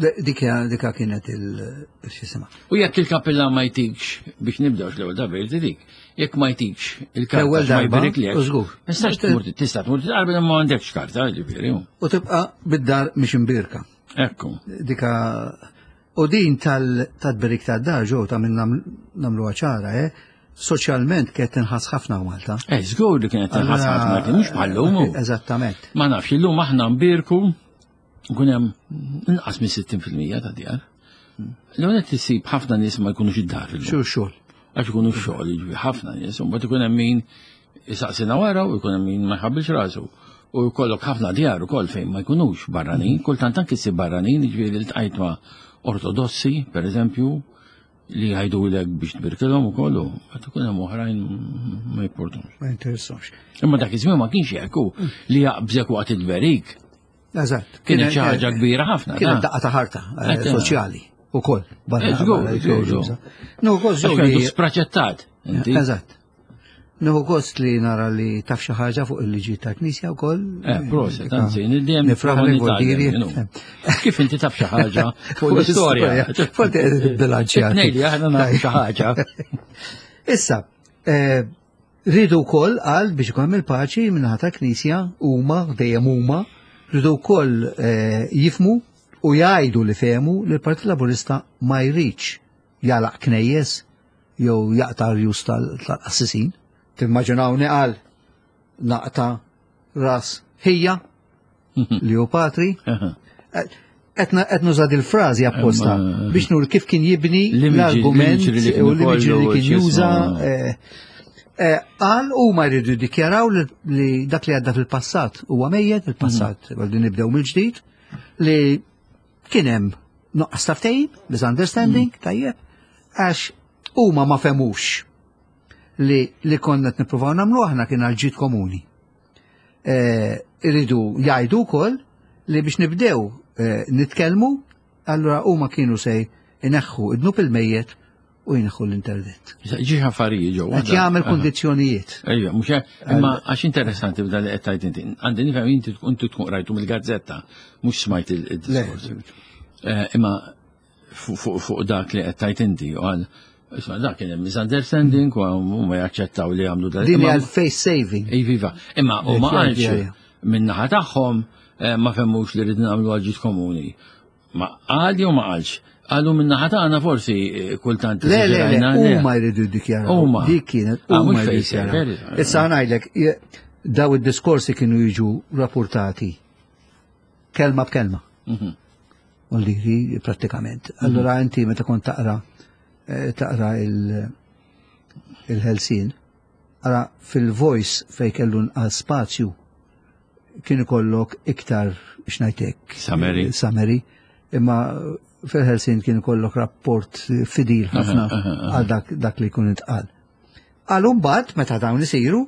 S2: Dika dika kienet il-xisima.
S1: U jekk il-kappellan ma jtikx, biex nibdew l-ewwel darba jrid dik, jekk ma jtikx il-karta
S2: L-ewwel
S1: ma
S2: darba,
S1: jberiklekx,
S2: u żgur.
S1: Tistax tmur tista' tmur tqarben ma għandekx karta, ġifieri.
S2: U tibqa' bid-dar mhix imbirka.
S1: Ekku.
S2: Dika u din tal-tberik tad-dar ġew ta' minn nagħmluha ċara, eh? Soċjalment kienet tinħass ħafna Malta.
S1: Eh, żgur li kienet tinħass ħafna, kien mhux bħal-lum.
S2: Eżattament.
S1: Ma nafx, illum aħna nbierku nkun hemm inqas minn sittin fil-mija ta' djar. L-għonet tisib ħafna nies ma jkunux id-dar illum.
S2: Xu xogħol.
S1: Għax ikunu x-xogħol, jiġifieri ħafna nies, u mbagħad ikun hemm min isaqsina wara u jkun hemm min ma jħabbilx rasu. U jkollok ħafna djar ukoll fejn ma jkunux barranin, kultant anke ssib barranin, jiġifieri ltqajt ma' ortodossi, per eżempju, li jgħidulek biex tbirkilhom ukoll u għad ikun hemm oħrajn ma jipportumx.
S2: Ma jinteressawx.
S1: Imma dak iż-żmien ma kienx hekk hu li jaqbżek waqt it-tberik.
S2: Eżatt.
S1: Kienet xi ħaġa kbira ħafna.
S2: Kienet
S1: da.
S2: daqqa ta' ħarta eh,
S1: Eżatt.
S2: soċjali ukoll. Barra.
S1: Eh, żgur,
S2: barra
S1: żgur,
S2: jkun
S1: żgur.
S2: No, gost
S1: Għax
S2: li
S1: kienu spraċettat. Inti.
S2: Eżatt. Nieħu gost li nara li taf xi ħaġa fuq il-liġi tal-Knisja wkoll.
S1: Eh, proset, anzi, dejjem
S2: Nifraħ li voldiri.
S1: Kif inti taf xi ħaġa fuq l-istorja.
S2: Fuq bilanċjati.
S1: Tnejli aħna nafu xi ħaġa.
S2: Issa, eh, rridu wkoll għal biex ikun hemm il-paċi min-naħa tal-Knisja huma dejjem huma rridu wkoll eh, jifhmu u jgħidu li fehmu li l-Partit Laburista ma jridx jagħlaq knejjes jew jaqta' rjus tal-qassisin. Timmaġinawni qal naqta' ras ħija li hu patri. Qed nuża il-frażi apposta biex nur kif kien jibni l-argument u l-imaġi li kien juża. Qal huma jridu jiddikjaraw li dak li għadda fil-passat huwa mejjet, il-passat għaldi nibdew mill-ġdid, li kien hemm nuqqas ta' ftehim, misunderstanding, tajjeb, għax huma ma fehmux li li konna qed nippruvaw nagħmlu aħna kien għal ġid komuni. Iridu jgħidu wkoll li biex nibdew nitkellmu, allura huma kienu se jneħħu id-dnub il-mejjet u jneħħu l-internet.
S1: Ġi affarijiet ġew.
S2: Qed jagħmel kundizzjonijiet.
S1: Ejja, mhux imma għax interessanti b'dan li qed tgħid inti. Għandi nifhem inti tkun tkun qrajtu mill-gazzetta, mhux smajt il-diskors. Imma fuq dak li qed tgħid inti u għal Isma' dak kien hemm misunderstanding u huma jaċċettaw li jagħmlu
S2: dan. Din hija l-face saving.
S1: Iva, imma u ma qalx min-naħa tagħhom ma fehmux li rridna nagħmlu għal ġid komuni. Ma qal jew ma qalx. Qalu min-naħa tagħna forsi kultant.
S2: Le, le, le, huma jridu jiddikjaraw. Dik kienet huma jridu jiddikjaraw. Issa ngħidlek, daw id-diskorsi kienu jiġu rapportati kelma b'kelma. U li prattikament. Allura inti meta kont taqra taqra il-Ħelsien, ara fil-Voice fej kellu nqas spazju kien ikollok iktar x'ngħidlek.
S1: Summary.
S2: Summary. Imma fil-Ħelsien kien ikollok rapport fidil ħafna għal dak li jkun intqal. Għal mbagħad meta dawn isiru,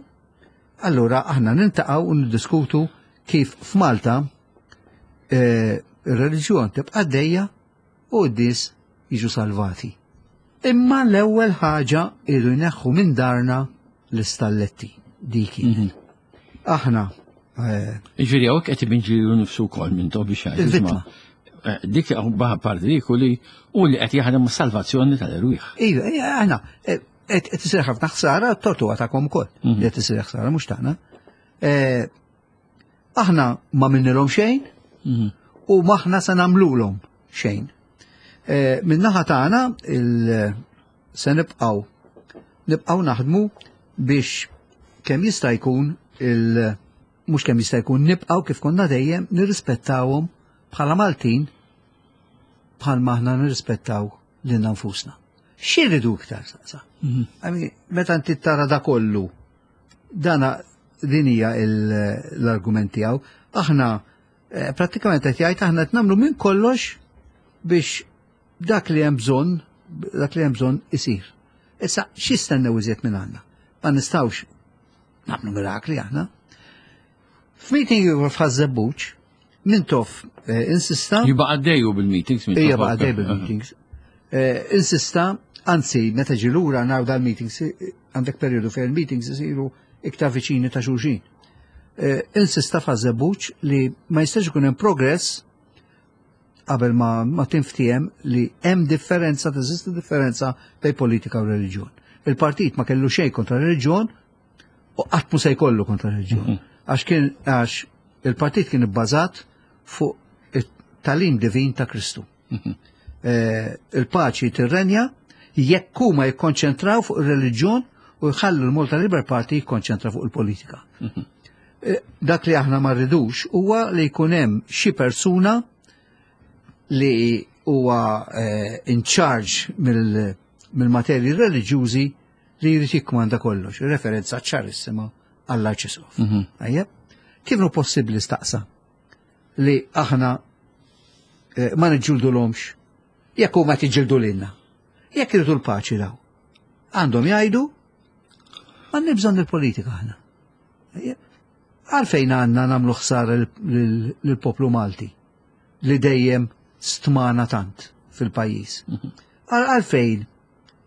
S2: allura aħna niltaqgħu u niddiskutu kif f'Malta ir-reliġjon tibqa' għaddejja u d-nies jiġu salvati. Imma l-ewwel ħaġa iridu jneħħu minn darna l-istalletti dik. Aħna
S1: Ġifieri hawnhekk qed ibinġi lilu nnifsu wkoll minn to biex
S2: jgħid.
S1: Dik parti dik u li u li qed jaħdem mas-salvazzjoni tal-erwieħ.
S2: Iva, aħna qed isir ħafna ħsara, t-tortu tagħkom ukoll. Li qed isir ħsara mhux tagħna. Aħna ma minnilhom xejn u maħna se nagħmlulhom xejn. Min-naħa tagħna se nibqgħu nibqgħu naħdmu biex kemm jista' jkun il mhux kemm jista' jkun nibqgħu kif konna dejjem nirrispettawhom bħala Maltin bħalma aħna nirrispettaw lilna nfusna. X'iridu iktar saqsa? Meta inti tara da kollu, dana din hija l-argument tiegħu, aħna prattikament qed jgħid aħna qed nagħmlu minn kollox biex dak li hemm bżonn, dak li hemm bżonn isir. Issa x'jistennew iżjed minn għandna? Ma nistgħux nagħmlu mirakli aħna. F'meeting ieħor f'Ħaż-Żebbuġ, Mintoff insista.
S1: Jibqa' għaddejju bil-meetings Mintoff.
S2: Jibqa' għaddej bil-meetings. Insista, anzi, meta ġie lura naraw dal-meetings, għandek perjodu fejn il-meetings isiru iktar viċini ta' xulxin. Insista f'Ħaż-Żebbuġ li ma jistax ikun hemm progress qabel ma, ma tinftiem li hemm differenza, teżisti differenza bejn politika u reliġjon. Il-partit ma kellu xejn kontra reliġjon u qatt mhu se jkollu kontra reliġjon. Għax kien għax il-partit kien ibbażat fuq it-talim divin ta' Kristu. Il-paċi tirrenja jekk huma jikkonċentraw fuq ir-reliġjon u jħallu l-Malta Labour Party jikkonċentra fuq il-politika. Dak li aħna ma rridux huwa li jkun hemm xi persuna li huwa in charge mill-materji reliġjużi li jrid jikkmanda kollox, referenza ċarissima għall-Arċisqof. Ajjeb? Kif hu possibbli staqsa li aħna ma niġġildulhomx jekk huma tiġġildu lilna? Jekk iridu l-paċi daw. Għandhom jgħidu m'għandna bżonn il-politika aħna. Għalfejn għandna nagħmlu ħsara lill-poplu Malti li dejjem stmana tant fil-pajjiż. Għalfejn,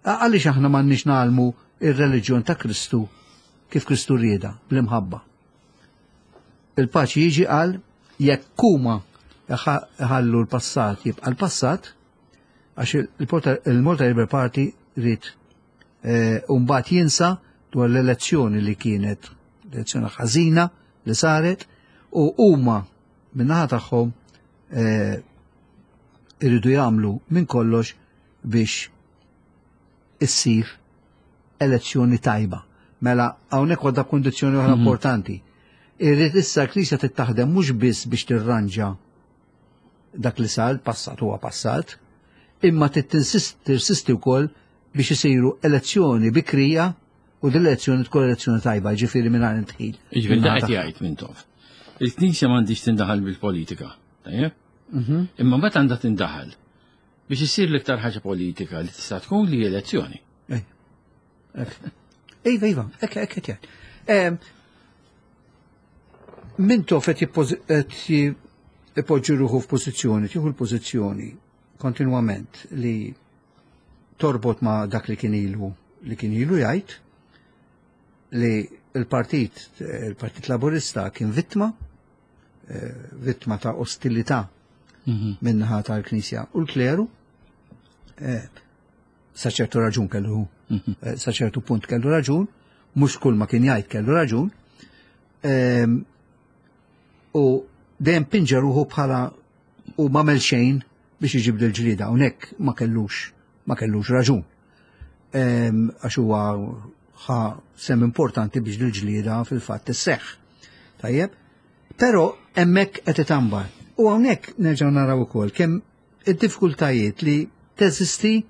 S2: għaliex aħna m'għandniex nagħlmu ir-reliġjon ta' Kristu kif Kristu rieda bl-imħabba. Il-paċi jiġi għal jekk huma ħallu l-passat jibqa' l-passat, għax il-Malta Labour Party ried u mbagħad jinsa dwar l-elezzjoni li kienet elezzjoni ħażina li saret u huma min-naħa tagħhom iridu jagħmlu minn kollox biex issir elezzjoni tajba. Mela hawnhekk għadha kundizzjoni oħra importanti. Irrid issa l-Knisja tittaħdem mhux biss biex tirranġa dak li sar, passat huwa passat, imma tirsisti wkoll biex isiru elezzjoni bikrija u din l-elezzjoni tkun elezzjoni tajba, ġifieri mingħajr indħil.
S1: Ġifieri da qed jgħid Mintoff. Il-Knisja m'għandix tindaħal bil-politika, tajjeb? Imma mbagħad għandha tindaħal biex isir l-iktar ħaġa politika li tista' tkun li elezzjoni.
S2: Iva, iva, hekk hekk qed jgħid. Mintoff qed ipoġġi ruħu f'pożizzjoni, tieħu l-pożizzjoni kontinwament li torbot ma' dak li kien ilu li kien ilu jgħid li il-partit il-Partit Laburista kien vittma vittma ta' ostilità minnaħa tal-Knisja u l-kleru, sa ċertu raġun kellu, sa ċertu punt kellu raġun, mhux kull ma kien jgħid kellu raġun, u dejjem pinġa ruħu bħala u m'għamel xejn biex iġib l-ġlieda, hawnhekk ma kellux ma kellux raġun. Għax huwa ħa sem importanti biex l-ġlieda fil-fatt isseħħ. Tajjeb? Però hemmhekk qed itambar. U hawnhekk nerġgħu naraw ukoll kemm id-diffikultajiet li teżisti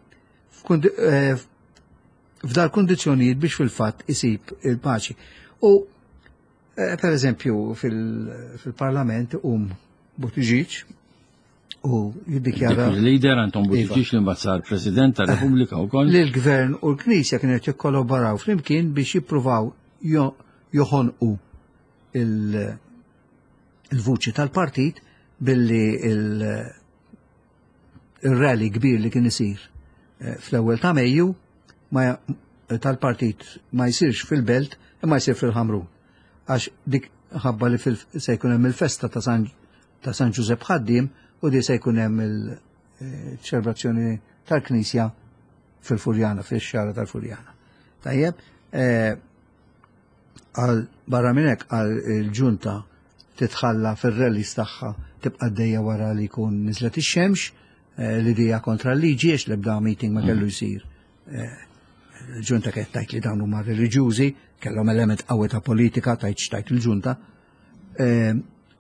S2: f'dal kundizzjonijiet biex fil-fatt isib il-paċi. U per eżempju fil-Parlament um Buttigieg u jiddikjara
S1: Il-leader Anton Buttigieg li mbagħad sar President tar-Repubblika wkoll.
S2: Li l-Gvern u l-Knisja kienet jikkollaboraw flimkien biex jippruvaw joħonqu il-vuċi tal-partit billi il-rally kbir li kien isir fl-ewwel ta' Mejju tal-partit ma jsirx fil-Belt imma jsir fil-Ħamrun. Għax dik ħabba li se jkun hemm il-festa ta' San Ġużepp Ħaddiem u di se jkun hemm il-ċelebrazzjoni tal-Knisja fil-Furjana, fil-xara tal-Furjana. Tajjeb, għal barra minn hekk għal il-ġunta titħalla fir-rallies tagħha tibqa' għaddejja wara li jkun niżlet ix-xemx, li dija kontra l-liġi għax l-ebda meeting ma kellu jsir. Il-ġunta kienet tajt li dawn huma reliġjużi, kellhom element qawwi ta' politika tajt x'tajt il-ġunta.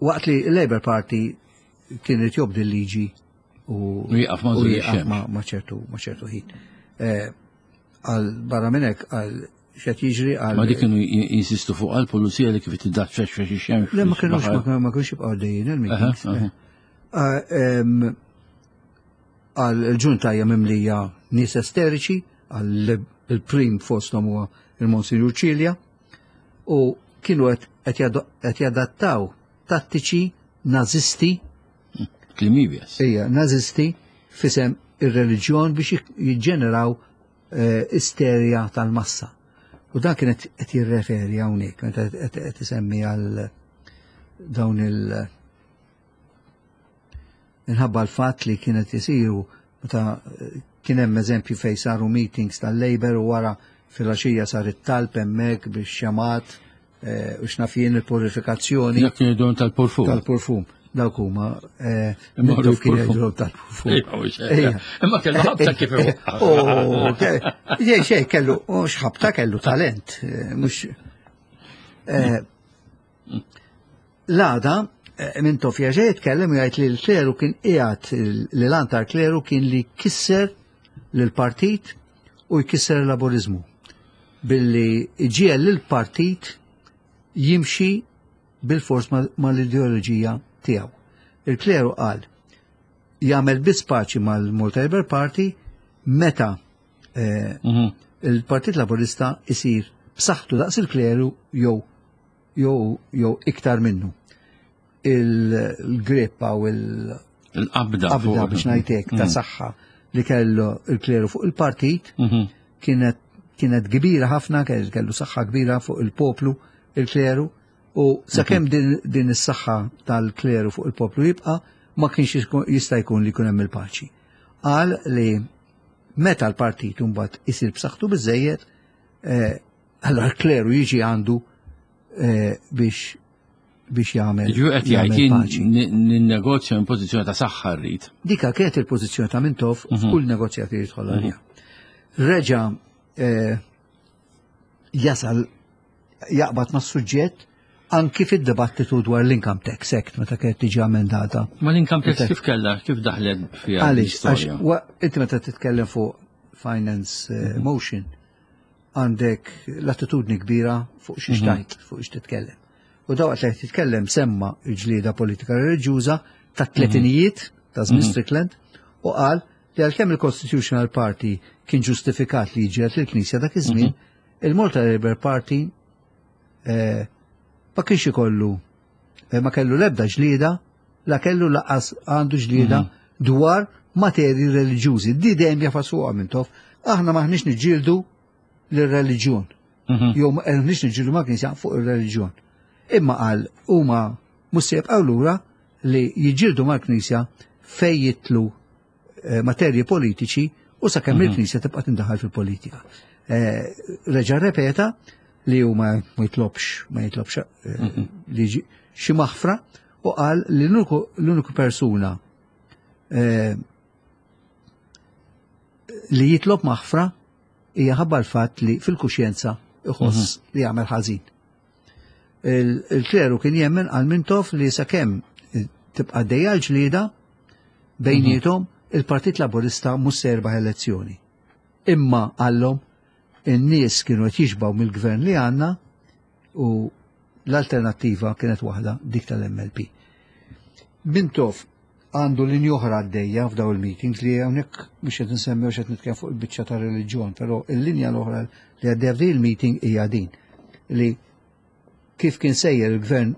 S2: Waqt li l-Labour Party kienet jobdi l-liġi u
S1: jieqaf ma'
S2: ma' ċertu ma' ċertu ħin. Għal barra minn hekk għal x'qed jiġri għal.
S1: Ma dik kienu jinsistu fuq għal pulizija li kif tiddaċċex fex ix-xemx.
S2: Le ma kienux ma kienux jibqgħu għaddejjin il-meetings. Għal il-ġunta hija mimlija nies esteriċi, għal il-prim fosthom huwa il-Monsinjur Ċilja, u kienu qed jadattaw tattiċi nazisti.
S1: Klimibjas.
S2: Ija, nazisti fisem ir-reliġjon biex jiġġeneraw isterja tal-massa. U dan kien qed jirreferi hawnhekk, meta qed isemmi għal dawn il- minħabba l-fatt li kienet isiru meta kien hemm eżempju fejn saru meetings tal-Labour u wara fil-għaxija sar it-talb hemmhekk biex xamat u x'naf jien il-purifikazzjoni.
S1: Dak kien idhom tal-purfum.
S2: Tal-purfum. Dawk huma Mintoff kien jgħidulhom tal-purfum.
S1: Imma kellu ħabta kif
S2: Xejn xejn kellu mhux ħabta kellu talent, mhux l-għada Mintoff jerġa' jitkellem u jgħid li l-kleru kien qiegħed li l-għan tal-kleru kien li jkisser lill-partit u jkisser il-laborizmu billi iġiegħel lill-partit jimxi bil-fors mal-ideoloġija tiegħu. Il-kleru qal jagħmel biss paċi mal-Malta Labour Party meta il-Partit Laburista isir b'saħħtu daqs il-kleru jew jew jew iktar minnu. Il-grippa u
S1: l-qabda
S2: qabda biex ngħidlek ta' saħħa li kellu il-kleru fuq il-partit kienet kienet kbira ħafna, kellu saħħa kbira fuq il-poplu il-kleru, u sakemm din, din is-saħħa tal-kleru fuq il-poplu jibqa' ma kienx jista' jkun li jkun hemm il-paċi. Qal li meta l-partit mbagħad isir b'saħħtu biżejjed, allora l-kleru jiġi għandu biex biex jagħmel.
S1: Ġu qed jgħid ninnegozja minn pożizzjoni ta' saħħa rrid.
S2: Dika kienet il-pożizzjoni ta' Mintoff f'kull negozjat li jidħol għaliha. Reġa' Jasal jaqbad ma' suġġett anki fid-dibattitu dwar l-Income Tax Act meta kienet tiġi amendata.
S1: Ma l-income tax kif kellha, kif daħlet fiha
S2: Għaliex, għax
S1: l-istorja?
S2: wa- inti meta titkellem fuq finance eh, motion, għandek latitudni kbira fuq xiex tgħid, fuq xiex titkellem. U dawqt li qed titkellem semma l-ġlieda politika reliġjuża ta' tletinijiet ta' żmien Strickland u qal li għalkemm il-Constitutional Party kien ġustifikat li jiġġieled il-Knisja dak iż-żmien, il-Malta Labour Party eh, ma kienx ikollu eh, ma kellu l-ebda ġlieda, la kellu lanqas għandu ġlieda dwar materji reliġjużi. Di dejjem jagħfas Mintoff. Aħna maħniex niġġieldu l-reliġjon.
S1: Mhm.
S2: Jew maħniex niġġieldu ma' knisja fuq ir-reliġjon. Imma qal huma mhux se jibqgħu lura li jiġġieldu mal-knisja fej jidħlu eh, materji politiċi u sakemm il-knisja tibqa' tindaħal fil-politika. Eh, Reġa' repeta li huma ma jitlobx ma jitlobx eh, li ġi- xi maħfra u qal li l-uniku l-uniku persuna eh, li jitlob maħfra hija ħabba l-fatt li fil-kuxjenza iħoss li jagħmel ħażin. Il- Il-kleru kien jemmen għal Mintoff li sakemm tibqa' dejja l-ġlieda bejniethom, il-Partit Laburista mhux se jirbaħ elezzjoni. Imma għallhom in-nies kienu qed jixbaw mill-gvern li għandna u l-alternattiva kienet waħda, dik tal-M L P. Mintoff għandu linja oħra għaddejja f'daw il-meetings li hawnhekk mhux qed nsemmi qed nitkellem fuq il-biċċa ta' reliġjon, però il-linja l-oħra li għaddejja f'din il-meeting hija din li kif kien sejjer il-gvern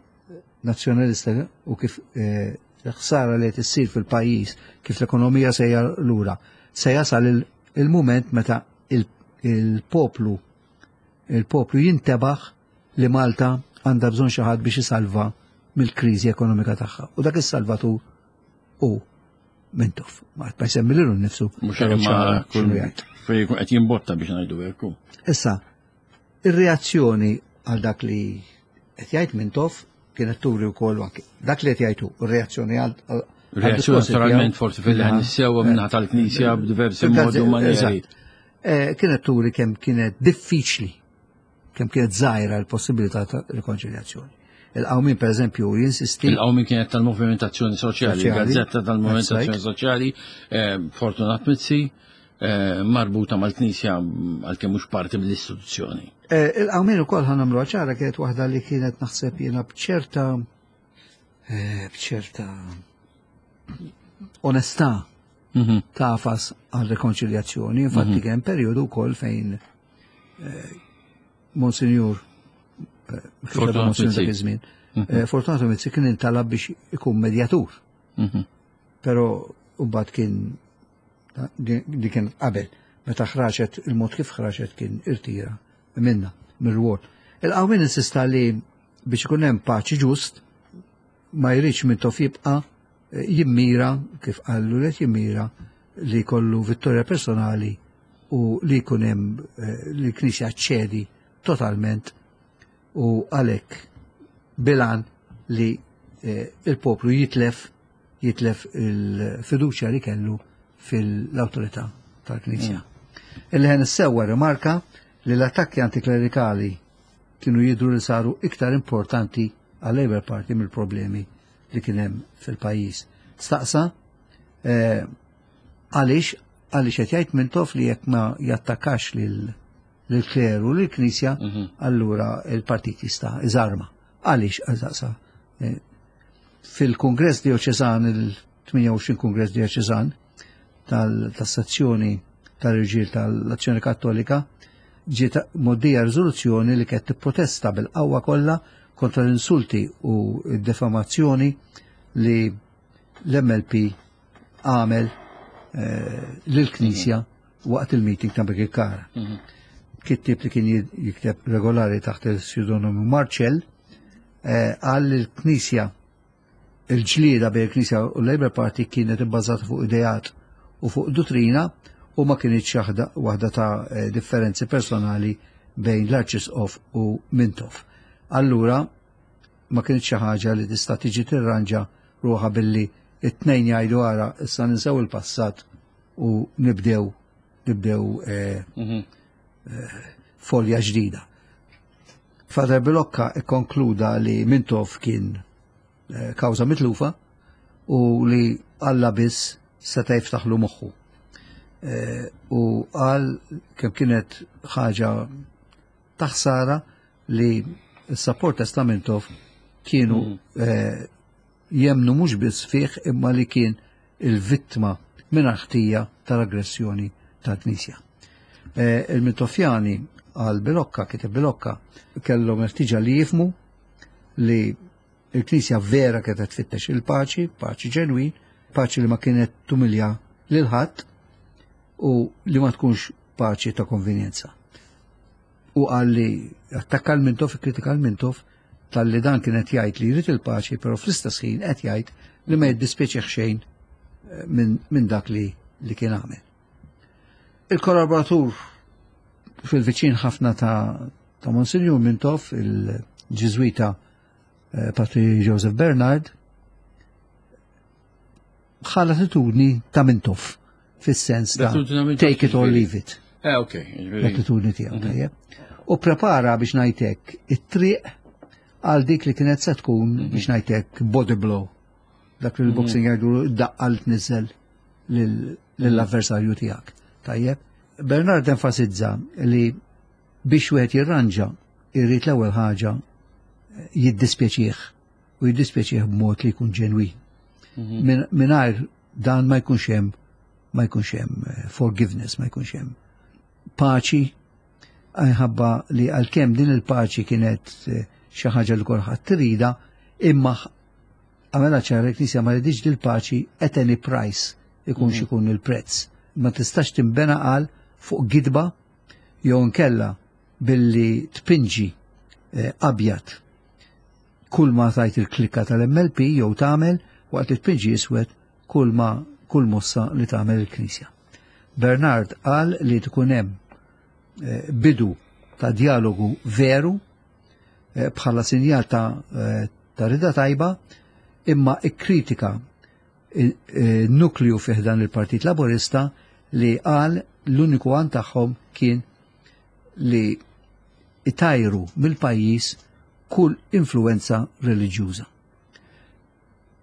S2: nazzjonalista u kif eh, l-ħsara li qed issir fil-pajjiż, kif l-ekonomija sejja lura, se jasal il- il-mument meta il- il-poplu il-poplu jintebaħ li Malta għandha bżonn xi ħadd biex isalva mill-kriżi ekonomika tagħha. U dak is-salvatur hu Mintoff. Ma ma jsemmi lilu nnifsu.
S1: Mhux
S2: però
S1: imma
S2: ċara
S1: kull
S2: x'inhu jgħid.
S1: fejn jkun qed jimbotta biex ngħidu hekk.
S2: Issa, ir-reazzjoni għal dak li qed jgħid Mintoff kienet turi wkoll anke dak li qed jgħidu, ir-reazzjoni għal għal-
S1: Reazzjoni
S2: għal-diskorsi
S1: naturalment
S2: tiegħu
S1: forsi fil-ħan sewwa minnaħa tal-Knisja b'diversi modi u manieri.
S2: Eżatt. Eh, Kienet turi kemm kienet diffiċli, kemm kienet żgħira l-possibilità ta' rikonċiljazzjoni. Il-Qawmien, per eżempju, jinsisti
S1: Il-Qawmien kienet tal-Movimentazzjoni Soċjali,
S2: Soċjali.
S1: Gazzetta tal-Movimentazzjoni
S2: That's
S1: Soċjali, eh, Fortunat Mizzi, eh, marbuta mal-Knisja għalkemm mhux parti mill-istituzzjoni.
S2: Eh, Il-Qawmien ukoll, ħa nagħmlu ċara, kienet waħda li kienet naħseb jiena bċerta eh, bċerta onestà
S1: Mhm.
S2: tagħfas għal rekonċiljazzjoni. Infatti kien periodu wkoll fejn eh, Monsignor eh, kif
S1: Fortunato
S2: Monsignor dak
S1: Mizzi.
S2: iż-żmien, eh, Fortunato Mizzi kien intalab biex ikun medjatur.
S1: Mhm.
S2: Però mbagħad kien di di kien qabel meta ħraġet il-mod kif ħraġet kien irtira minna mir-rwol. Il-Qawmien insista li biex ikun hemm paċi ġust ma jridx Mintoff jibqa' eh, jimmira, kif qallu li jimmira li kollu vittorja personali u li jkun hemm eh, li l-Knisja ċedi totalment u għalhekk bil-għan li eh, il-poplu jitlef jitlef il-fiduċja li kellu fil-autorità tal-Knisja. Il-Leħen is-Sewwa rimarka li l-attakki antiklerikali kienu jidru li saru iktar importanti għal Labour Party mill-problemi li kien hemm fil-pajjiż. Staqsa eh, għaliex għaliex qed jgħid Mintoff li jekk ma jattakkax lil lill-kleru, lill-Knisja, allura il-partit jista' iżarma. Għaliex staqsa? Eh, fil-Kongress Dioċesan, il-tmienja u għoxrin Kongress Dioċesan tal-sezzjoni tal-irġiel tal-Azzjoni Kattolika, ġiet mgħoddija riżoluzzjoni li kienet tipprotesta bil-qawwa kollha kontra l-insulti u d-defamazzjoni li l-M L P għamel eh, lill-Knisja waqt il-meeting ta' Birkirkara. Kittib li kien jikteb regolari taħt il-pseudonimu Marcel eh, għal il-Knisja il-ġlieda bejn il-Knisja u l-Labour Party kienet ibbażata fuq ideat u fuq dottrina u ma kienitx waħda waħda ta' eh, differenzi personali bejn l-Arċisqof u Mintoff. Allura ma kienx xi ħaġa li tista' tiġi tirranġa ruħha billi it-tnejn jgħidu ara issa ninsew il-passat u nibdew nibdew eh,
S1: Mhm.
S2: folja ġdida. Father Bilocca ikkonkluda li Mintoff kien eh, kawża mitlufa u li Alla biss seta' jiftaħlu moħħu. Eh, u qal kemm kienet ħaġa taħsara li s-supporters ta' Mintoff kienu eh, jemnu mhux biss fih imma li kien il-vittma minn ħtija tal-aggressjoni tal-Knisja. Eh, Il-Mintoffjani għal Bilocca, kiteb Bilocca, kellhom ħtiġa li jifhmu li il-Knisja vera kienet tfittex il-paċi, paċi ġenwin, paċi li ma kienet tumilja lil ħadd u li ma tkunx paċi ta' konvenjenza. U qal li attakka l-Mintoff, kritika l-Mintoff, tal-li dan kienet jgħid li jrid il-paċi, però fl-istess ħin qed jgħid li ma jiddispjaċih xejn eh, minn min dak li, li kien għamel. Il-kollaboratur fil-viċin ħafna ta', ta' Monsinjur Mintoff, il-Ġiżwita eh, Patri Joseph Bernard, bħala attitudni ta' Mintoff, fis-sens ta'
S1: L-attitudni ta' Mintoff
S2: take it or
S1: ġifieri.
S2: leave it.
S1: Eh, ok. ġifieri-
S2: L-attitudni tiegħu, tajjeb. U prepara biex ngħidlek it-triq għal dik li kienet se tkun biex ngħidlek body blow. Dak li l-boxing jgħidu daqqa li tniżel lill-avversarju tiegħek. Tajjeb. Bernard enfasizza li biex wieħed jirranġa irrid l-ewwel ħaġa jiddispjaċih u jiddispjaċih b'mod li jkun ġenwin. Min- Mingħajr dan ma jkunx hemm ma jkunx hemm eh, forgiveness, ma jkunx hemm paċi għajħabba li għalkemm din il-paċi kienet eh, xi ħaġa li kulħadd trida, imma għamela ċara l-Knisja ma ridix dil-paċi at any price ikun xikun il-prezz. Ma tistax timbena għal fuq gidba jew nkella billi tpinġi eh, abjad kull ma tajt il-klikka tal-M L P jew tagħmel waqt li tpinġi iswed kull ma kull mossa li tagħmel il-Knisja. Bernard qal li tkun hemm eh, bidu ta' dialogu veru eh, bħala sinjal ta' eh, ta' rida tajba, imma ikkritika nukliju fih dan il-Partit Laburista li qal l-uniku għan tagħhom kien li itajru mill-pajjiż kull influenza reliġjuża.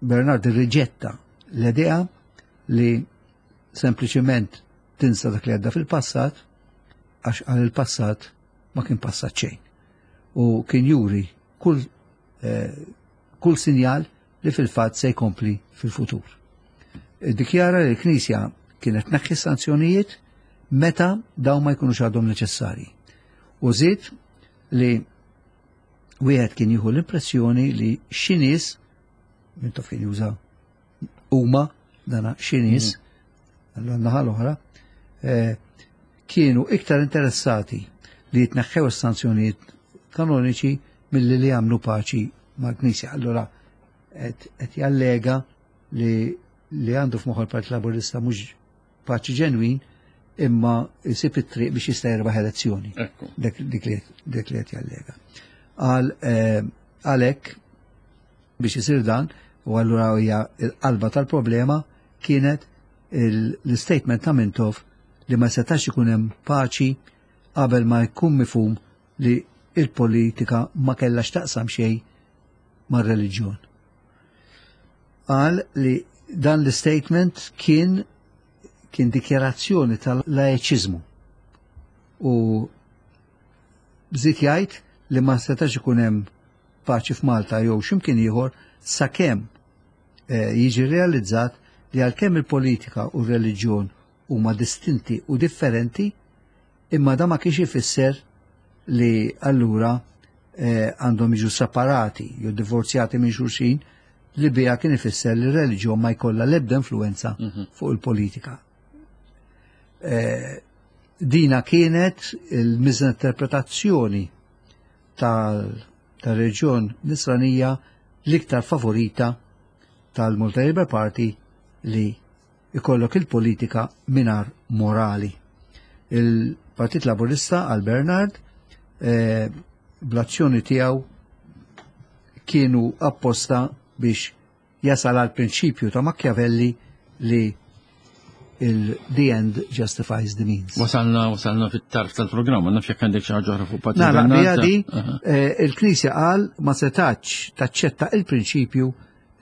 S2: Bernard irriġetta l-idea li sempliċement tinsa dak li għadda fil-passat, għax għal il-passat ma kien passat xejn. U kien juri kull, eh, kull sinjal li fil-fatt se jkompli fil-futur. Dikjara li l-Knisja kienet tneħħi sanzjonijiet meta dawn ma jkunux għadhom neċessarji. U żied li wieħed kien jieħu l-impressjoni li xi nies, Mintoff kien juża huma dana xi nies, għall-naħa l-oħra, eh, kienu iktar interessati li jitneħħew is-sanzjonijiet kanoniċi milli li jagħmlu paċi mal-Knisja. Allura qed qed jallega li li għandu f'moħħu l-Partit Laburista mhux paċi ġenwin imma jsib it-triq biex jista' jirbaħ elezzjoni.
S1: Ekku.
S2: Dik dik li dik li qed jallega. Għal eh, għalhekk biex isir dan, u allura hija l-qalba tal-problema kienet il- l-statement ta' Mintoff li ma setax ikun hemm paċi qabel ma jkun mifhum li il-politika ma kellax taqsam xejn mar-reliġjon. Qal li dan l-statement kien kien dikjarazzjoni tal-laiċiżmu u bżiet jgħid li ma setax ikun hemm paċi f'Malta jew x'imkien ieħor sakemm eh, jiġi realizzat li għalkemm il-politika u r-reliġjon huma distinti u differenti, imma da ma kienx ifisser li allura eh, għandhom jiġu separati jew divorzjati minn xulxin, li bija kien ifisser li r-reliġjon ma jkollha l-ebda influenza fuq il-politika. Eh, dina kienet il-misinterpretazzjoni tal-reġjon nisranija l-iktar favorita tal-Malta Labour Party, li ikollok il-politika mingħajr morali. Il-Partit Laburista għal Bernard eh, bl-azzjoni tiegħu kienu apposta biex jasal għal prinċipju ta' Machiavelli li il-the end justifies the means.
S1: Wasalna, wasalna fit-tarf tal-programma, naf jekk għandek xi ħaġa oħra fuq Patri
S2: Nagħlaq
S1: Bernard.
S2: bija di,
S1: Aha.
S2: eh, il-Knisja qal ma setax taċċetta il-prinċipju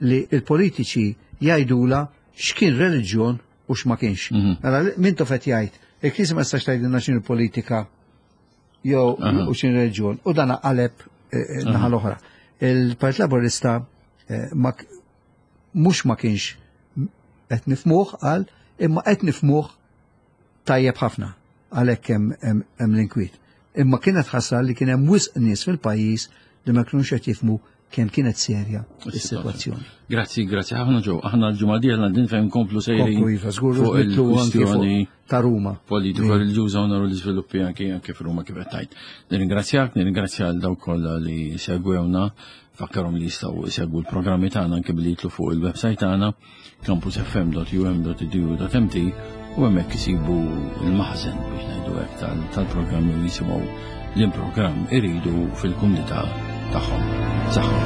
S2: li il-politiċi jgħidula x'kien reliġjon u x'ma kienx.
S1: Mhm.
S2: Mela Mintoff qed jgħid, il-Knisja ma tistax tgħidilna x'inhu politika jew
S1: Aha.
S2: u x'inhu reliġjon u dan qaleb eh, eh, naħa l-oħra. Il-Partit Laburista eh, ma k- mhux ma kienx qed nifhmuh qal, imma qed nifhmuh tajjeb ħafna għalhekk hemm hemm- hemm l-inkwiet. Imma kienet ħasra li kien hemm wisq nies fil-pajjiż li ma kinux qed jifhmu kemm kienet serja is-sitwazzjoni.
S1: Grazzi, grazzi ħafna Joe. Aħna l-ġimgħa dieħla din fejn nkomplu sejrin
S2: Komplu iva, żgur
S1: fuq
S2: nidħlu anki
S1: il-kwistjoni
S2: fuq ta' Ruma.
S1: politiko reliġjuża u naru l-iżviluppi anki anke f'Ruma kif qed tgħid. Nirringrazzjak, nirringrazzja għal dawk kollha li segwewna, fakkarhom li jistgħu jsegwu l-programmi tagħna anke billi jidħlu fuq il-website tagħna campusfm dot U M dot edu dot M T u hemmhekk isibu il-maħżen biex ngħidu hekk tal- tal-programmi u jisimgħu l-programm iridu fil-kumdità tagħhom. Saħħa.